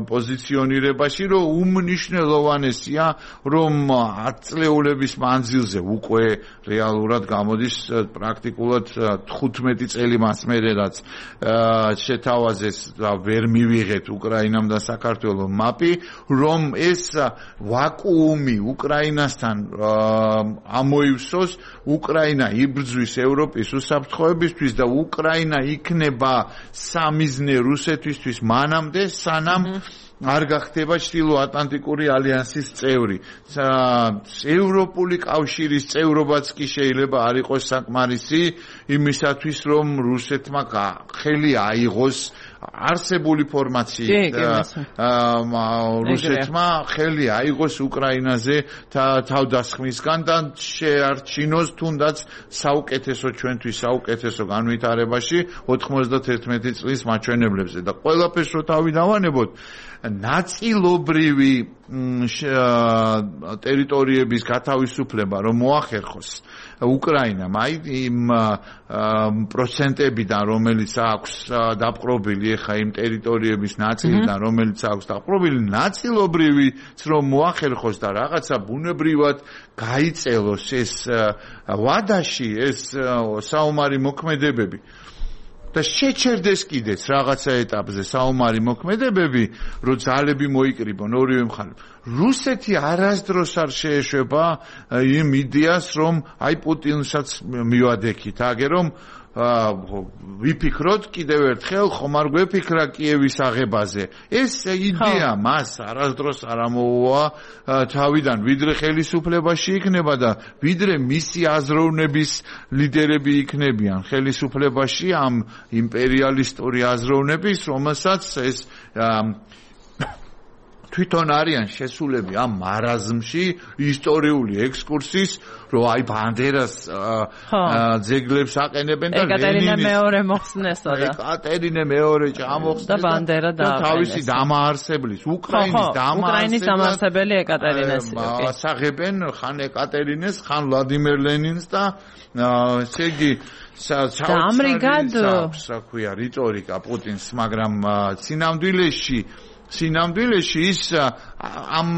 პოზიციონირებაში, რომ უმნიშვნელოვანესია, რომ ათწლეულების მანძილზე უკვე რეალურად გამოდის პრაქტიკულად 15 წელი მას მერე რაც შეთავაზეს და ვერ მივიღეთ უკრაინამ და საქართველოს მაპი, რომ ეს ვაკუუმი უკრაინასთან ამოივსოს, უკრაინა იბრძვის ევროპის უსაფრთხოებისთვის და უკრაინა იქნება სამიზნე რუსეთისთვის მანამდე სანამ არ გახდება ჩრდილოატლანტიკური ალიანსის წევრი. ევროპული კავშირის წევრობაც კი შეიძლება არ იყოს საკმარისი იმისათვის, რომ რუსეთმა ხელი აიღოს არსებული ფორმაციით რუსეთმა ხელი აიღოს უკრაინაზე თავდასხმისგან და შეარჩინოს თუნდაც საუკეთესო ჩვენთვის საუკეთესო განვითარებაში 91 წლის მაჩვენებლებზე და ყველაფერს რო თავი დავანებოთ ნაწილობრივი ტერიტორიების გათავისუფლება რომ მოახერხოს უკრაინამ აი იმ პროცენტებიდან რომელიც აქვს დაპყრობილი ეხა იმ ტერიტორიების ნაწილიდან რომელიც აქვს დაპყრობილი ნაწილობრივიც რომ მოახერხოს და რაღაცა ბუნებრივად გაიწელოს ეს ვადაში ეს საომარი მოქმედებები და შეჩერდეს კიდეც რაღაცა ეტაპზე საომარი მოქმედებები, რომ ძალები მოიკრიბონ ორივე მხარეს. რუსეთი არასდროს არ შეეშვება იმ იდეას, რომ აი პუტინსაც მივადექით, აგე რომ ვიფიქროთ კიდევ ერთხელ ხომ არ გვეფიქრა კიევის აღებაზე. ეს იდეა მას არასდროს არ ამოუვა თავიდან, ვიდრე ხელისუფლებაში იქნება და ვიდრე მისი აზროვნების ლიდერები იქნებიან ხელისუფლებაში ამ იმპერიალისტური აზროვნების, რომელსაც ეს თვითონ არიან შესულები ამ მარაზმში ისტორიული ექსკურსის, რომ აი ბანდერას ძეგლებს აყენებენ და ეკატერინე მეორე მოხსნესო და ეკატერინე მეორე ჩამოხსნეს და ბანდერა და თავისი დამაარსებლის უკრაინის დამაარსებელი ეკატერინეს ასაღებენ ხან ეკატერინეს, ხან ვლადიმერ ლენინს და ესე იგი ამრიგად საქვია რიტორიკა პუტინს, მაგრამ სინამდვილეში ის ამ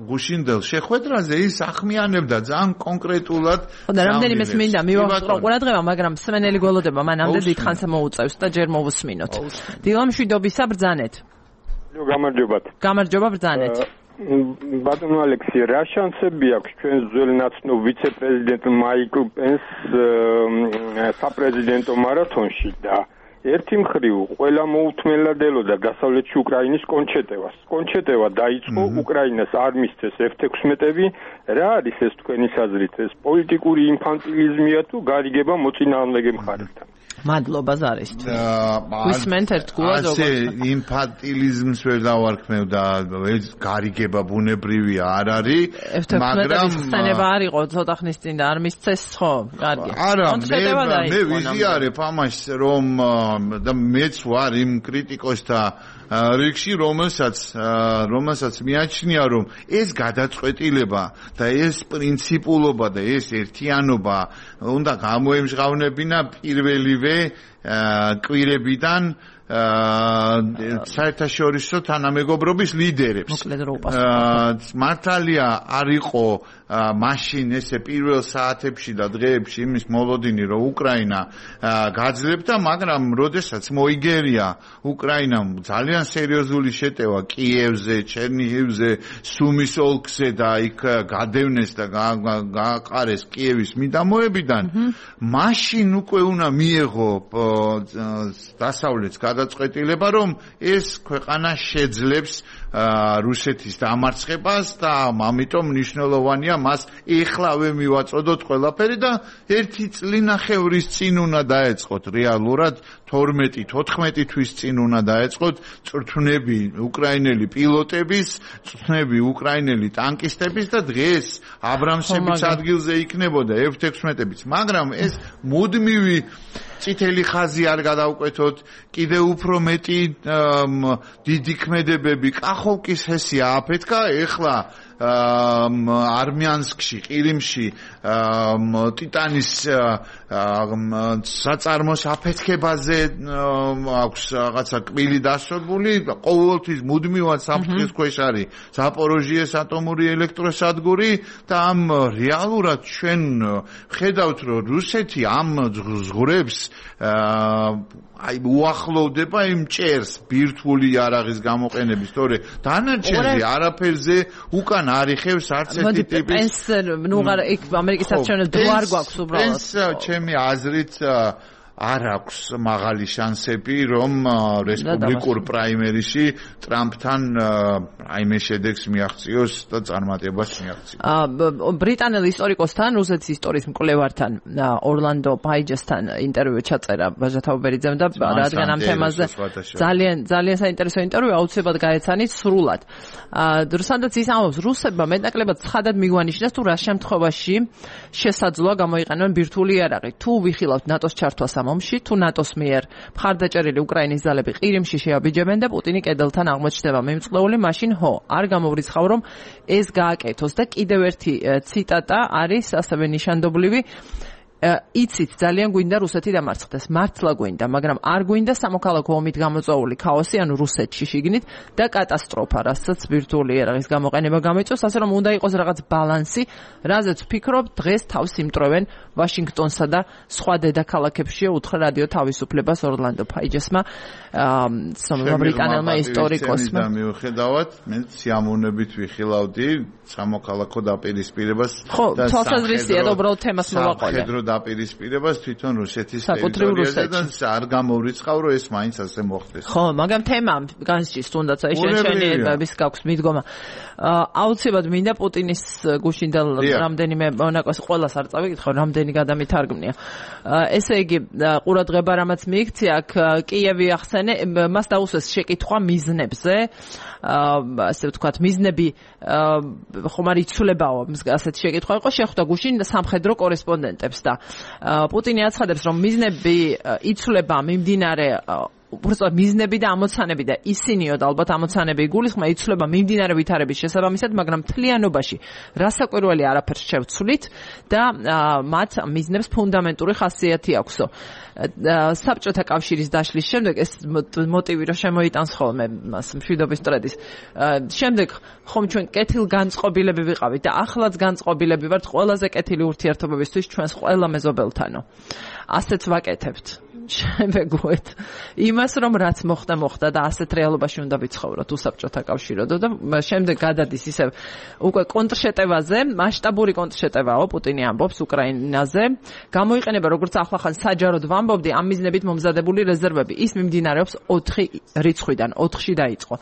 გუშინდელ შეხვედრაზე ის ახმიანებდა ძალიან კონკრეტულად და რამდენიმე მინდა მივახსოვრო ყურადღება, მაგრამ სმენელი გველოდება მანამდე დიდხანს მოუწევს და ჯერ მოვუსმინოთ. დილა მშვიდობისა ბრძანეთ. გამარჯობა ბრძანეთ. ბატონო ალექსი, რა შანსები აქვს ჩვენ ძველი ნაცნობ ვიცე-პრეზიდენტ მაიკლ პენს საპრეზიდენტო მარათონში და ერთი მხრივ ყველა მოუთმენლად ელოდა დასავლეთში უკრაინის კონჩეტევას. კონჩეტევა დაიწყო, უკრაინას არ მისცეს F-16-ები. რა არის ეს თქვენი საზრით? ეს პოლიტიკური ინფანტილიზმია თუ გარიგება მოწინააღმდეგე მხარესთან? მადლობა ზარისთვის. ვისმენთ ერთგულად როგორ ინფანტილიზმს ვერ დავარქმევ და ეს გარიგება ბუნებრივია არ არის, მაგრამ ხსენება არ იყო ცოტა ხნის წინ და არ მისცეს ხო? კარგი. არა, მე ვიზიარებ ამას რომ და მეც ვარ იმ კრიტიკოსთა რიგში, რომელსაც მიაჩნია, რომ ეს გადაწყვეტილება და ეს პრინციპულობა და ეს ერთიანობა უნდა გამოემჟღავნებინა პირველივე კვირებიდან საერთაშორისო თანამეგობრობის ლიდერებს. მართალია არ იყო მაშინ ესე პირველ საათებში და დღეებში იმის მოლოდინი, რომ უკრაინა გაძლებდა, მაგრამ როდესაც მოიგერია უკრაინამ ძალიან სერიოზული შეტევა კიევზე, ჩერნიგივზე, სუმის ოლქზე და იქ გადევნეს და გააყარეს კიევის მიდამოებიდან, მაშინ უკვე უნდა მიეღო დასავლეთს გადაწყვეტილება, რომ ეს ქვეყანა შეძლებს რუსეთის დამარცხებას და ამიტომ მნიშვნელოვანია მას ეხლავე მივაწოდოთ ყველაფერი და ერთი წლინახევრის წინ უნდა დაეწყოთ რეალურად 12-14 თვის წინ უნდა დაეწყოთ წვრთნები უკრაინელი პილოტების, წვრთნები უკრაინელი ტანკისტების და დღეს აბრამსების ადგილზე იქნებოდა F-16-ებიც, მაგრამ ეს მუდმივი წითელი ხაზი არ გადავკვეთოთ, კიდევ უფრო მეტი დიდი ქმედებები კახოვკის ჰესი ააფეთქა, ეხლა არმიანსკში, ყირიმში ტიტანის საწარმოს აფეთქებაზე აქვს რაღაცა კბილი დასწრებული, ყოველთვის მუდმივად საფრთხის ქვეშ არის ზაპოროჟიეს ატომური ელექტროსადგური და ამ რეალურად ჩვენ ხედავთ, რომ რუსეთი ამ ზღვრებს აი უახლოვდება იმ ჭერს ბირთვული იარაღის გამოყენების, თორე დანარჩენზე არაფერზე უკან არ იხევს არც ერთი ტიპის. პენს ნუ იქ ამერიკის საჩვენებს დრო არ გვაქვს უბრალოდ. პენს ჩემი აზრით არ აქვს მაღალი შანსები, რომ რესპუბლიკურ პრაიმერიში ტრამპთან რაიმე შედეგს მიაღწიოს და წარმატებას მიაღწიოს. ბრიტანელ ისტორიკოსთან, რუსეთის ისტორიის მკვლევართან, ორლანდო პაიჯესთან ინტერვიუ ჩაწერა ბაჟა თაუბერიძემ და რადგან ამ თემაზე ძალიან საინტერესო ინტერვიუ აუცილებლად გაეცანით სრულად. სანდაც ის ამბობს, რუსებმა მეტნაკლებად ცხადად მიგვანიშნეს თუ რა შემთხვევაში შესაძლოა გამოიყენონ ბირთვული იარაღი. თუ ვიხილავთ ნატოს ჩართვას ამ ომში, თუ ნატოს მიერ მხარდაჭერილი უკრაინის ძალები ყირიმში შეაბიჯებენ და პუტინი კედელთან აღმოჩნდება მიმწყლეული, მაშინ არ გამოვრიცხავ რომ ეს გააკეთოს და კიდევ ერთი ციტატა არის ასევე ნიშანდობლივი იცით ძალიან გვინდა რუსეთი დამარცხდეს, მართლა გვინდა, მაგრამ არ გვინდა სამოქალაქო ომით გამოწვეული ქაოსი, ანუ რუსეთში შიგნით და კატასტროფა, რასაც ბირთვული იარაღის გამოყენება გამოიწვევს, ასე რომ უნდა იყოს რაღაც ბალანსი, რაზეც ვფიქრობ, დღეს თავს იმტრევენ ვაშინგტონსა და სხვა დედაქალაქებში, უთხრა რადიო თავისუფლებას ორლანდო პაიჯესმა, ბრიტანელმა ისტორიკოსმა. მიუხედავად, მე სიამოვნებით ვიხილავდი სამოქალაქო დაპირისპირებას და თვალსაზრისია და უბრალოდ თემას მოვაყოლე. დაპირისპირებას თვითონ რუსეთის ტერიტორიაზე და არ გამოვრიცხავ რომ ეს მაინც ასე მოხდეს. ხო, მაგრამ თემა განსჭის თუნდაც აი შენშენების გაქვს მიდგომა. აუცილებლად მინდა პუტინის გუშინდელ რამდენიმე მონაკოს ყველას არ წავიკითხო, რამდენი გადამითარგმნია. ესე იგი, ყურადღება რამაც მიიქცია, აქ კიევი ახსენე, მას დაუსვეს შეკითხვა მიზნებზე. ასე ვთქვათ, მიზნები ხომ არ იცვლებაო, ასეთი შეკითხვა იყო, შეხვდა გუშინ სამხედრო კორესპონდენტებს და პუტინი აცხადებს, რომ მიზნები იცვლება მიმდინარე უბრალოდ მიზნები და ამოცანები და ისინიო და ალბათ ამოცანები იგულისხმა იცვლება მიმდინარე ვითარების შესაბამისად, მაგრამ მთლიანობაში რასაკვირველი არაფერს შევცვლით და მათ მიზნებს ფუნდამენტური ხასიათი აქვსო. საბჭოთა კავშირის დაშლის შემდეგ ეს მოტივი რომ შემოიტანს ხოლმე მას მშვიდობის მტრედის. შემდეგ ხომ ჩვენ კეთილგანწყობილები ვიყავით და ახლაც განწყობილები ვართ ყველაზე კეთილი ურთიერთობებისთვის ჩვენს ყველა მეზობელთანო. ასეც ვაკეთებთ. შემეგუეთ იმას რომ რაც მოხდა და ასეთ რეალობაში უნდა ვიცხოვროთ უსაბჭოთა კავშიროდო და შემდეგ გადადის ისევ უკვე კონტრშეტევაზე, მასშტაბური კონტრშეტევაო, პუტინი ამბობს უკრაინაზე, გამოიყენება როგორც ახლახან საჯაროდ ვამბობდი ამ მიზნებით მომზადებული რეზერვები. ის მიმდინარეობს 4 რიცხვიდან, 4-ში დაიწყო.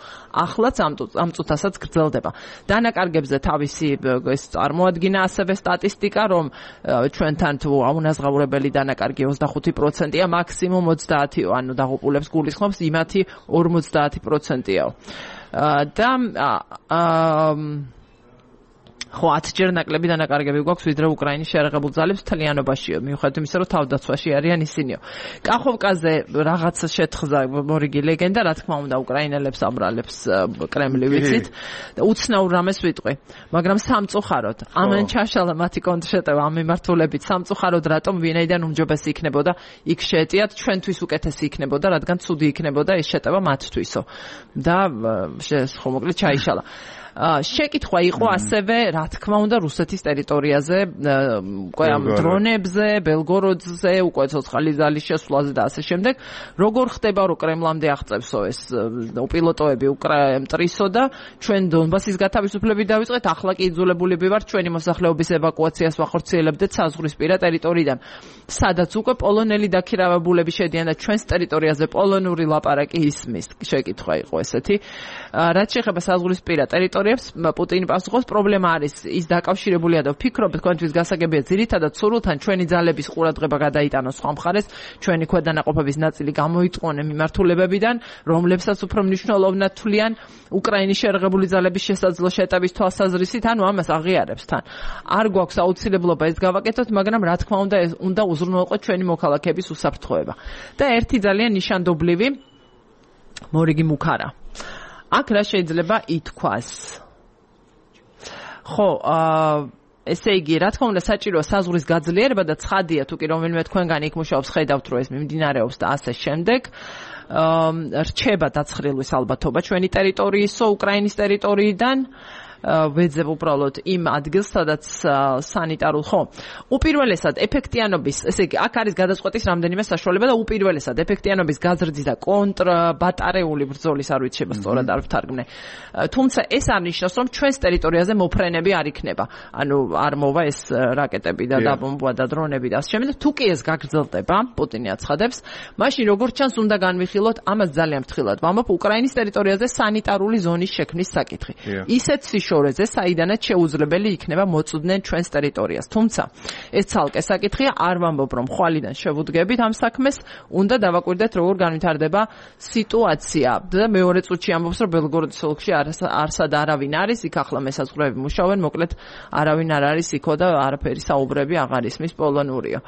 ახლაც ამ წუთასაც გრძელდება. დანაკარგებზე თავისი ეს წარმოადგინა ასევე სტატისტიკა, რომ ჩვენთან თუ აუნაზღაურებელი დანაკარგი 25%-ია, მაქსიმუმ 30-ო, ანუ დაღუპულებს გულისხმობს იმათი 50%-ია. და ხო 10-ჯერ ნაკლები დანაკარგები გვაქვს ვიდრე უკრაინის შეერაღებულ ძალებს მთლიანობაშიო, მიუხედავად იმისა, რომ თავდაცვაში არიან ისინიო. კახოვკაზე რაღაც შეთხზა მორიგი ლეგენდა, რა თქმა უნდა, უკრაინელებს ამბრალებს კრემლი ვიცით და უცნაურ რამეს ვიტყვი. მაგრამ სამწუხაროდ, ამან ჩაშალა მათი კონტრშეტევა ამ მიმართულებით, სამწუხაროდ რატომ ვინაიდან უმჯობესი იქნებოდა იქ შეეტიათ, ჩვენთვის უკეთესი იქნებოდა, რადგან ცუდი იქნებოდა ეს შეტევა მათთვისო. და ხო მოკლედ ჩაიშალა. შეკითხვა იყო ასევე, რა თქმა უნდა, რუსეთის ტერიტორიაზე, უკვე ამ დრონებზე, ბელგოროდზე, უკვე ცოცხალი ძალის შესვლაზე და ასე შემდეგ. როგორ ხდება, რომ კრემლამდე აღწევსო ეს პილოტოები მტრისო და ჩვენ დონბასის გათავისუფლებით დავიწყეთ, ახლა კი იძულებულები ვართ ჩვენი მოსახლეობის ევაკუაციას ვახორციელებდეთ საზღვრისპირა ტერიტორიიდან, სადაც უკვე პოლონელი დაქირავებულები შედიან და ჩვენს ტერიტორიაზე პოლონური ლაპარაკი ისმის. შეკითხვა იყო ესეთი. რაც შეეხება საზღვრისპირა ტერიტორიას, პუტინი პასუხობს, პრობლემა არის ის დაკავშირებულია და ვფიქრობ, თქვენთვის გასაგებია ძირითადად სურვილთან ჩვენი ძალების ყურადღება გადაიტანოს სხვა მხარეს, ჩვენი ქვედანაყოფების ნაწილი გამოიტყუნენ მიმართულებებიდან, რომლებსაც უფრო მნიშვნელოვნად თვლიან უკრაინის შეერაღებული ძალების შესაძლო შეტევის თვალსაზრისით, ანუ ამას აღიარებს თან. არ გვაქვს აუცილებლობა ეს გავაკეთოთ, მაგრამ რა თქმა უნდა, უნდა უზრუნველყოთ ჩვენი მოქალაქეების უსაფრთხოება. და ერთი ძალიან ნიშანდობლივი მორიგი მუქარა. აქ რა შეიძლება ითქვას? ხო, ესე იგი, რა თქმა უნდა, საჭიროა საზღვრის გაძლიერება და ცხადია, თუ კი რომელიმე თქვენგანი იქ მუშაობს, ხედავთ, რომ ეს მიმდინარეობს და ასე შემდეგ. რჩება დაცხრილვის ალბათობა ჩვენი ტერიტორიისო, უკრაინის ტერიტორიიდან. ვეძებ უბრალოდ იმ ადგილს, სადაც სანიტარულ ხო. უპირველესად ეფექტიანობის, ესე იგი, აქ არის გადაწყვეტის რამდენიმე საშუალება და უპირველესად ეფექტიანობის გაზრდის და კონტრბატარეული ბრძოლის არ ვიცი შეიძლება სწორად არ ვთარგმნე. თუმცა ეს არ ნიშნავს, რომ ჩვენს ტერიტორიაზე მოფრენები არ იქნება. ანუ არ მოვა ეს რაკეტები და დაბომბვა და დრონები და ასე შემდეგ. თუ კი ეს გაგრძელდება, პუტინი აცხადებს, მაშინ როგორც ჩანს უნდა განვიხილოთ ამას ძალიან ფრთხილად. ვამბობ უკრაინის ტერიტორიაზე სანიტარული ზონის შექმნის საკითხი. ისეთ სიშორეზე, საიდანაც შეუძლებელი იქნება მოწვდნენ ჩვენს ტერიტორიას. თუმცა ეს ცალკე საკითხია, არ ვამბობ რომ ხვალიდან შევუდგებით ამ საქმეს, უნდა დავაკვირდეთ როგორ განვითარდება სიტუაცია. და მეორე წუთში ამბობს რომ ბელგოროდის ოლქში არსად არავინ არის, იქ ახლა მესაზღვრეები მუშაობენ, მოკლედ არავინ არ არის იქო და არაფერი საუბრები აღარ ისმის პოლონურიო.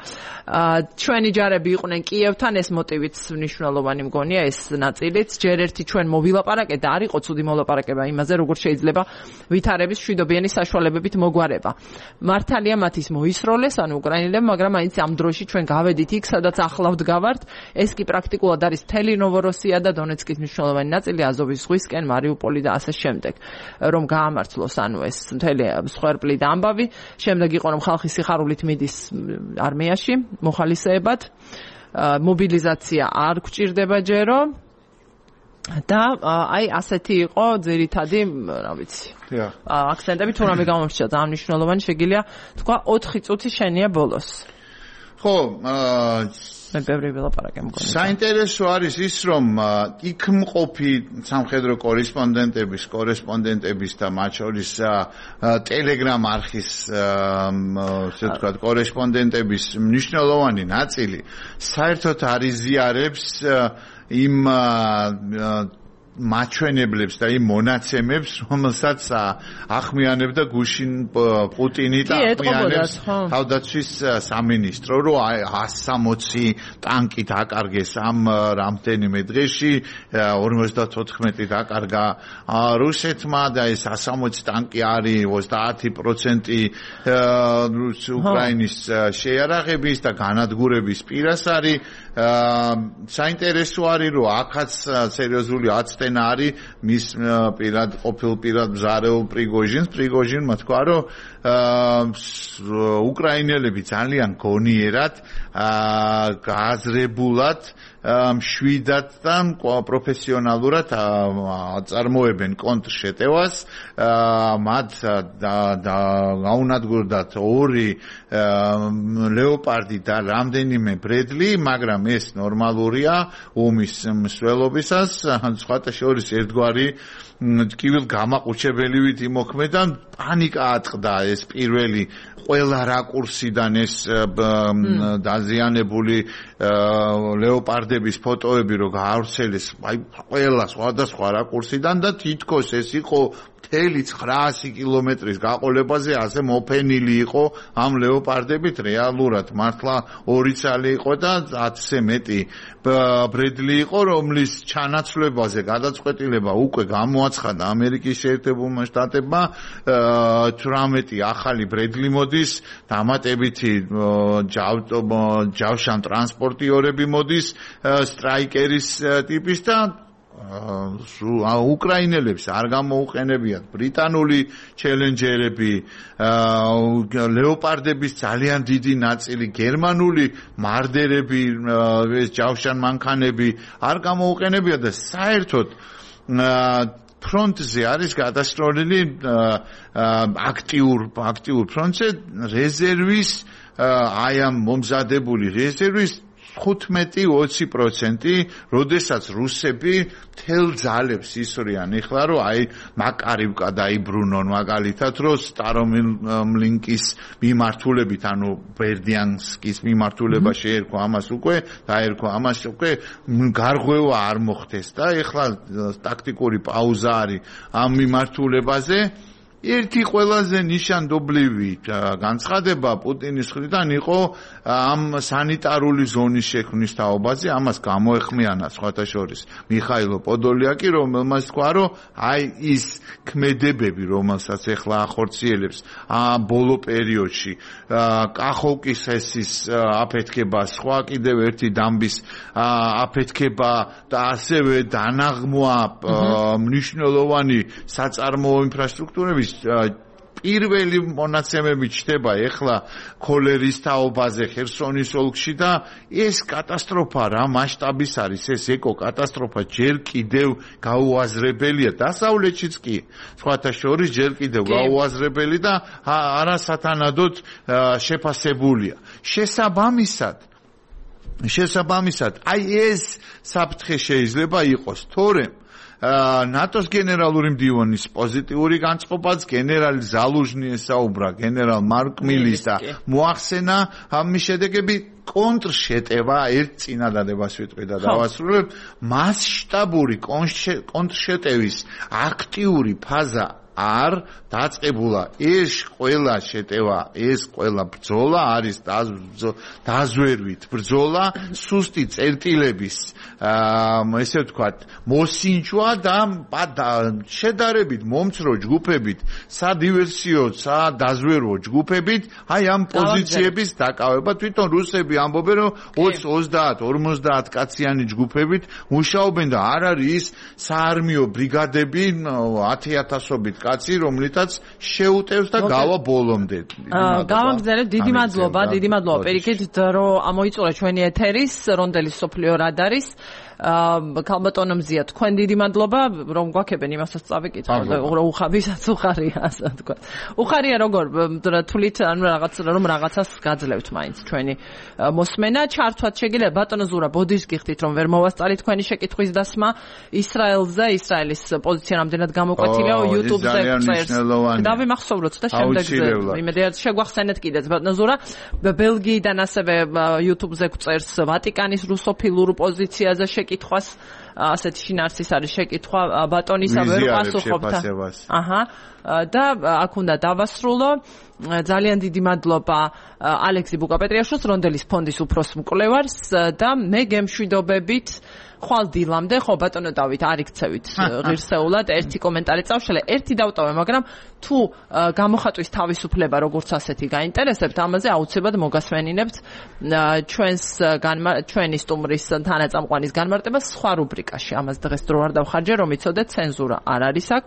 ჩვენი ჯარები იყვნენ კიევთან, ეს მოტივიც მნიშვნელოვანი მგონია ეს ნაწილიც. ჯერ ერთი ჩვენ მოვილაპარაკეთ და არ იყო ცუდი მოლაპარაკება იმაზე, როგორ შეიძლება ვითარების მშვიდობიანი საშუალებებით მოგვარება. მართალია მათ ის მოისროლეს, ანუ უკრაინელებმა, მაგრამ მაინც ამ დროში ჩვენ გავედით იქ, სადაც ახლა ვდგავართ. ეს კი პრაქტიკულად არის მთელი ნოვოროსია და დონეცკის მნიშვნელოვანი ნაწილი აზოვის ზღვისკენ, მარიუპოლი და ასე შემდეგ. რომ გაამართლოს ანუ ეს მთელი მსხვერპლი და ამბავი. შემდეგ იყო რომ ხალხი სიხარულით მიდის არმიაში მოხალისეებად. მობილიზაცია არ გვჭირდება ჯერო. და აი ასეთი იყო ძირითადი, რა ვიცი. აქცენტები თუ რამე გამომრჩა ძალიან მნიშვნელოვანი შეგიძლია თქვა 4 წუთი შენია ბოლოს. ხო, მე ბევრი ვილაპარაკე მგონი. საინტერესო არის ის, რომ იქ მყოფი სამხედრო კორესპონდენტების და მათ შორის ტელეგრამ არხის ასე ვთქვათ კორესპონდენტების მნიშვნელოვანი ნაწილი საერთოდ არ იზიარებს იმ მაჩვენებლებს და იმ მონაცემებს, რომელსაც ახმიანებდა გუშინ პუტინი და ახმიანებს თავდაცვის სამინისტრო, რომ 160 ტანკი დაკარგეს ამ რამდენიმე დღეში, 54 დაკარგა რუსეთმა და ეს 160 ტანკი არის 30% უკრაინის შეიარაღების და განადგურების პირას არის. საინტერესო არის, რომ აქაც სერიოზული აცდენა არის მის ყოფილ პირად მზარეულ პრიგოჟინმა თქვა, რომ უკრაინელები ძალიან გონიერად გააზრებულად მშვიდად და პროფესიონალურად აწარმოებენ კონტრშეტევას. მათ გაუნადგურდათ 2 ლეოპარდი და რამდენიმე ბრედლი, მაგრამ ეს ნორმალურია ომის მსვლელობისას. სხვათა შორის ერთგვარი ტკივილ გამაყუჩებელივით იმოქმედა, პანიკა ატყდა ეს პირველი ყველა რაკურსიდან ეს დაზიანებული ლეოპარდების ფოტოები რო გაავრცელეს, აი ყველა სხვადასხვა რაკურსიდან და თითქოს ეს იყო მთელი 900 კილომეტრის გაყოლებაზე ასე მოფენილი იყო ამ ლეოპარდებით. რეალურად მართლა 2 ცალი იყო და 10-ზე მეტი ბრედლი იყო, რომლის ჩანაცვლებაზე გადაწყვეტილება უკვე გამოაცხადა ამერიკის შეერთებულმა შტატებმა. 18 ახალი ბრედლი მოდის, დამატებითი ჯავშან ტრანსპორტიორები მოდის, სტრაიკერის ტიპის და უკრაინელებს არ გამოუყენებიათ ბრიტანული ჩელენჯერები, ლეოპარდების ძალიან დიდი ნაწილი, გერმანული მარდერები, ეს ჯავშან მანქანები არ გამოუყენებიათ და საერთოდ ფრონტზე არის გადასროლილი აქტიურ ფრონტზე რეზერვის, აი ამ მომზადებული რეზერვის 15-20%, როდესაც რუსები თელ ძალებს ისვრიან ეხლა, რომ აი მაკარივკა დაიბრუნონ მაგალითად, რომ სტარომლინკის მიმართულებით, ანუ ბერდიანსკის მიმართულება შეერქვა ამას უკვე, დაერქვა ამას უკვე გარღვევა არ მოხდეს და ეხლა ტაქტიკური პაუზა არის ამ მიმართულებაზე. ერთი ყველაზე ნიშანდობლივი განცხადება პუტინის მხრიდან იყო ამ სანიტარული ზონის შექმნის თაობაზე. ამას გამოეხმიანა სხვათა შორის მიხაილო პოდოლიაკი, რომელმაც თქვა, რომ აი ის ქმედებები, რომელსაც ეხლა ახორციელებს ბოლო პერიოდში, კახოვკის ჰესის აფეთქება, სხვა კიდევ ერთი დამბის აფეთქება და ასევე დანაღმვა მნიშვნელოვანი საწარმოო ინფრასტრუქტურების პირველი მონაცემები ჩდება ეხლა ქოლერის თაობაზე ხერსონის ოლქში და ეს კატასტროფა რა მასშტაბის არის ეს ეკო კატასტროფა ჯერ კიდევ გაუაზრებელია დასავლეთშიც კი სხვათა შორის ჯერ კიდევ გაუაზრებელი და არასათანადოდ შეფასებულია შესაბამისად აი ეს საფრთხე შეიძლება იყოს თორემ ნატოს გენერალური მდივანის პოზიტიური განწყობაც გენერალი ზალუჟნი ესაუბრა გენერალ მარკ მილის და მოახსენა ამის შედეგები კონტრშეტევა ერთ წინადადებას ვიტყვი და დავასრულებ მასშტაბური კონტრშეტევის აქტიური ფაზა არ დაწყებულა ეს ყველა შეტევა ეს ყველა ბრძოლა არის დაზვერვით ბრძოლა სუსტი წერტილების ესე ვთქვათ მოსინჯვა და შედარებით მომცრო ჯგუფებით სადივერსიო სადაზვერვო ჯგუფებით აი ამ პოზიციების დაკავება თვითონ რუსები ამბობენ რომ 20-50 კაციანი ჯგუფებით მუშაობენ და არ არის საარმიო ბრიგადები 10,000-ობით კაცი რომლითაც შეუტევს და გავა ბოლომდე. გავამგზავნებ დიდი მადლობა პირიქით რომ ამოიწურა ჩვენი ეთერის რონდელის სოფლიო რადარის ქალბატონო მზია თქვენ დიდი მადლობა რომ გვაქებენ იმასაც წავიკითხავ და უხარიასაც უხარია ასე თქვა. უხარია როგორ თulit ანუ რაღაცას გაძლევთ მაინც ჩვენი მოსმენა ჩართვაც შეგიძლია ბატონო ზურა ბოდიშს გიხდით რომ ვერ მოვასწარით თქვენი შეკითხვის დასმა ისრაელზე ისრაელის პოზიცია რამდენად გამოკვეთილია YouTube-ზე წერს. დავიმახსოვროთ და შემდეგზე იმედია შეგვახსენეთ კიდეც ბატონო ზურა ბელგიიდან ასევე YouTube-ზე წერს ვატიკანის რუსოფილურ პოზიციაზე კითხვას ასეთი შინაარსის არის შეკითხვა ბატონისა ვერ პასუხობდა. და აქ უნდა დავასრულო. ძალიან დიდი მადლობა ალექსი ბუკაპეტრიაშვილს რონდელის ფონდის უფროს მკვლევარს და მე გემშვიდობებით ხვალ დილამდე ხო ბატონო დავით არ იქცევით ღირსეულად ერთი კომენტარი წავშალე ერთი დავტოვე მაგრამ თუ გამოხატვის თავისუფლება როგორც ასეთი გაინტერესებთ ამაზე აუცილებლად მოგასვენინებთ ჩვენი სტუმრის თანაწამყვანის განმარტებას სხვა რუბრიკაში ამას დღეს დრო არ დავხარჯე რომ იცოდეთ ცენზურა არ არის აქ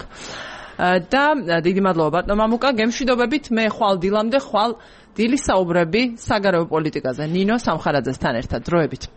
და დიდი მადლობა ბატონო მამუკა გემშვიდობებით მე ხვალ დილამდე ხვალ დილის საუბრები საგარეო პოლიტიკაზე ნინო სამხარაძესთან ერთად დროებით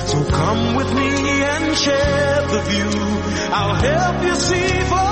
So come with me and share the view. I'll help you see for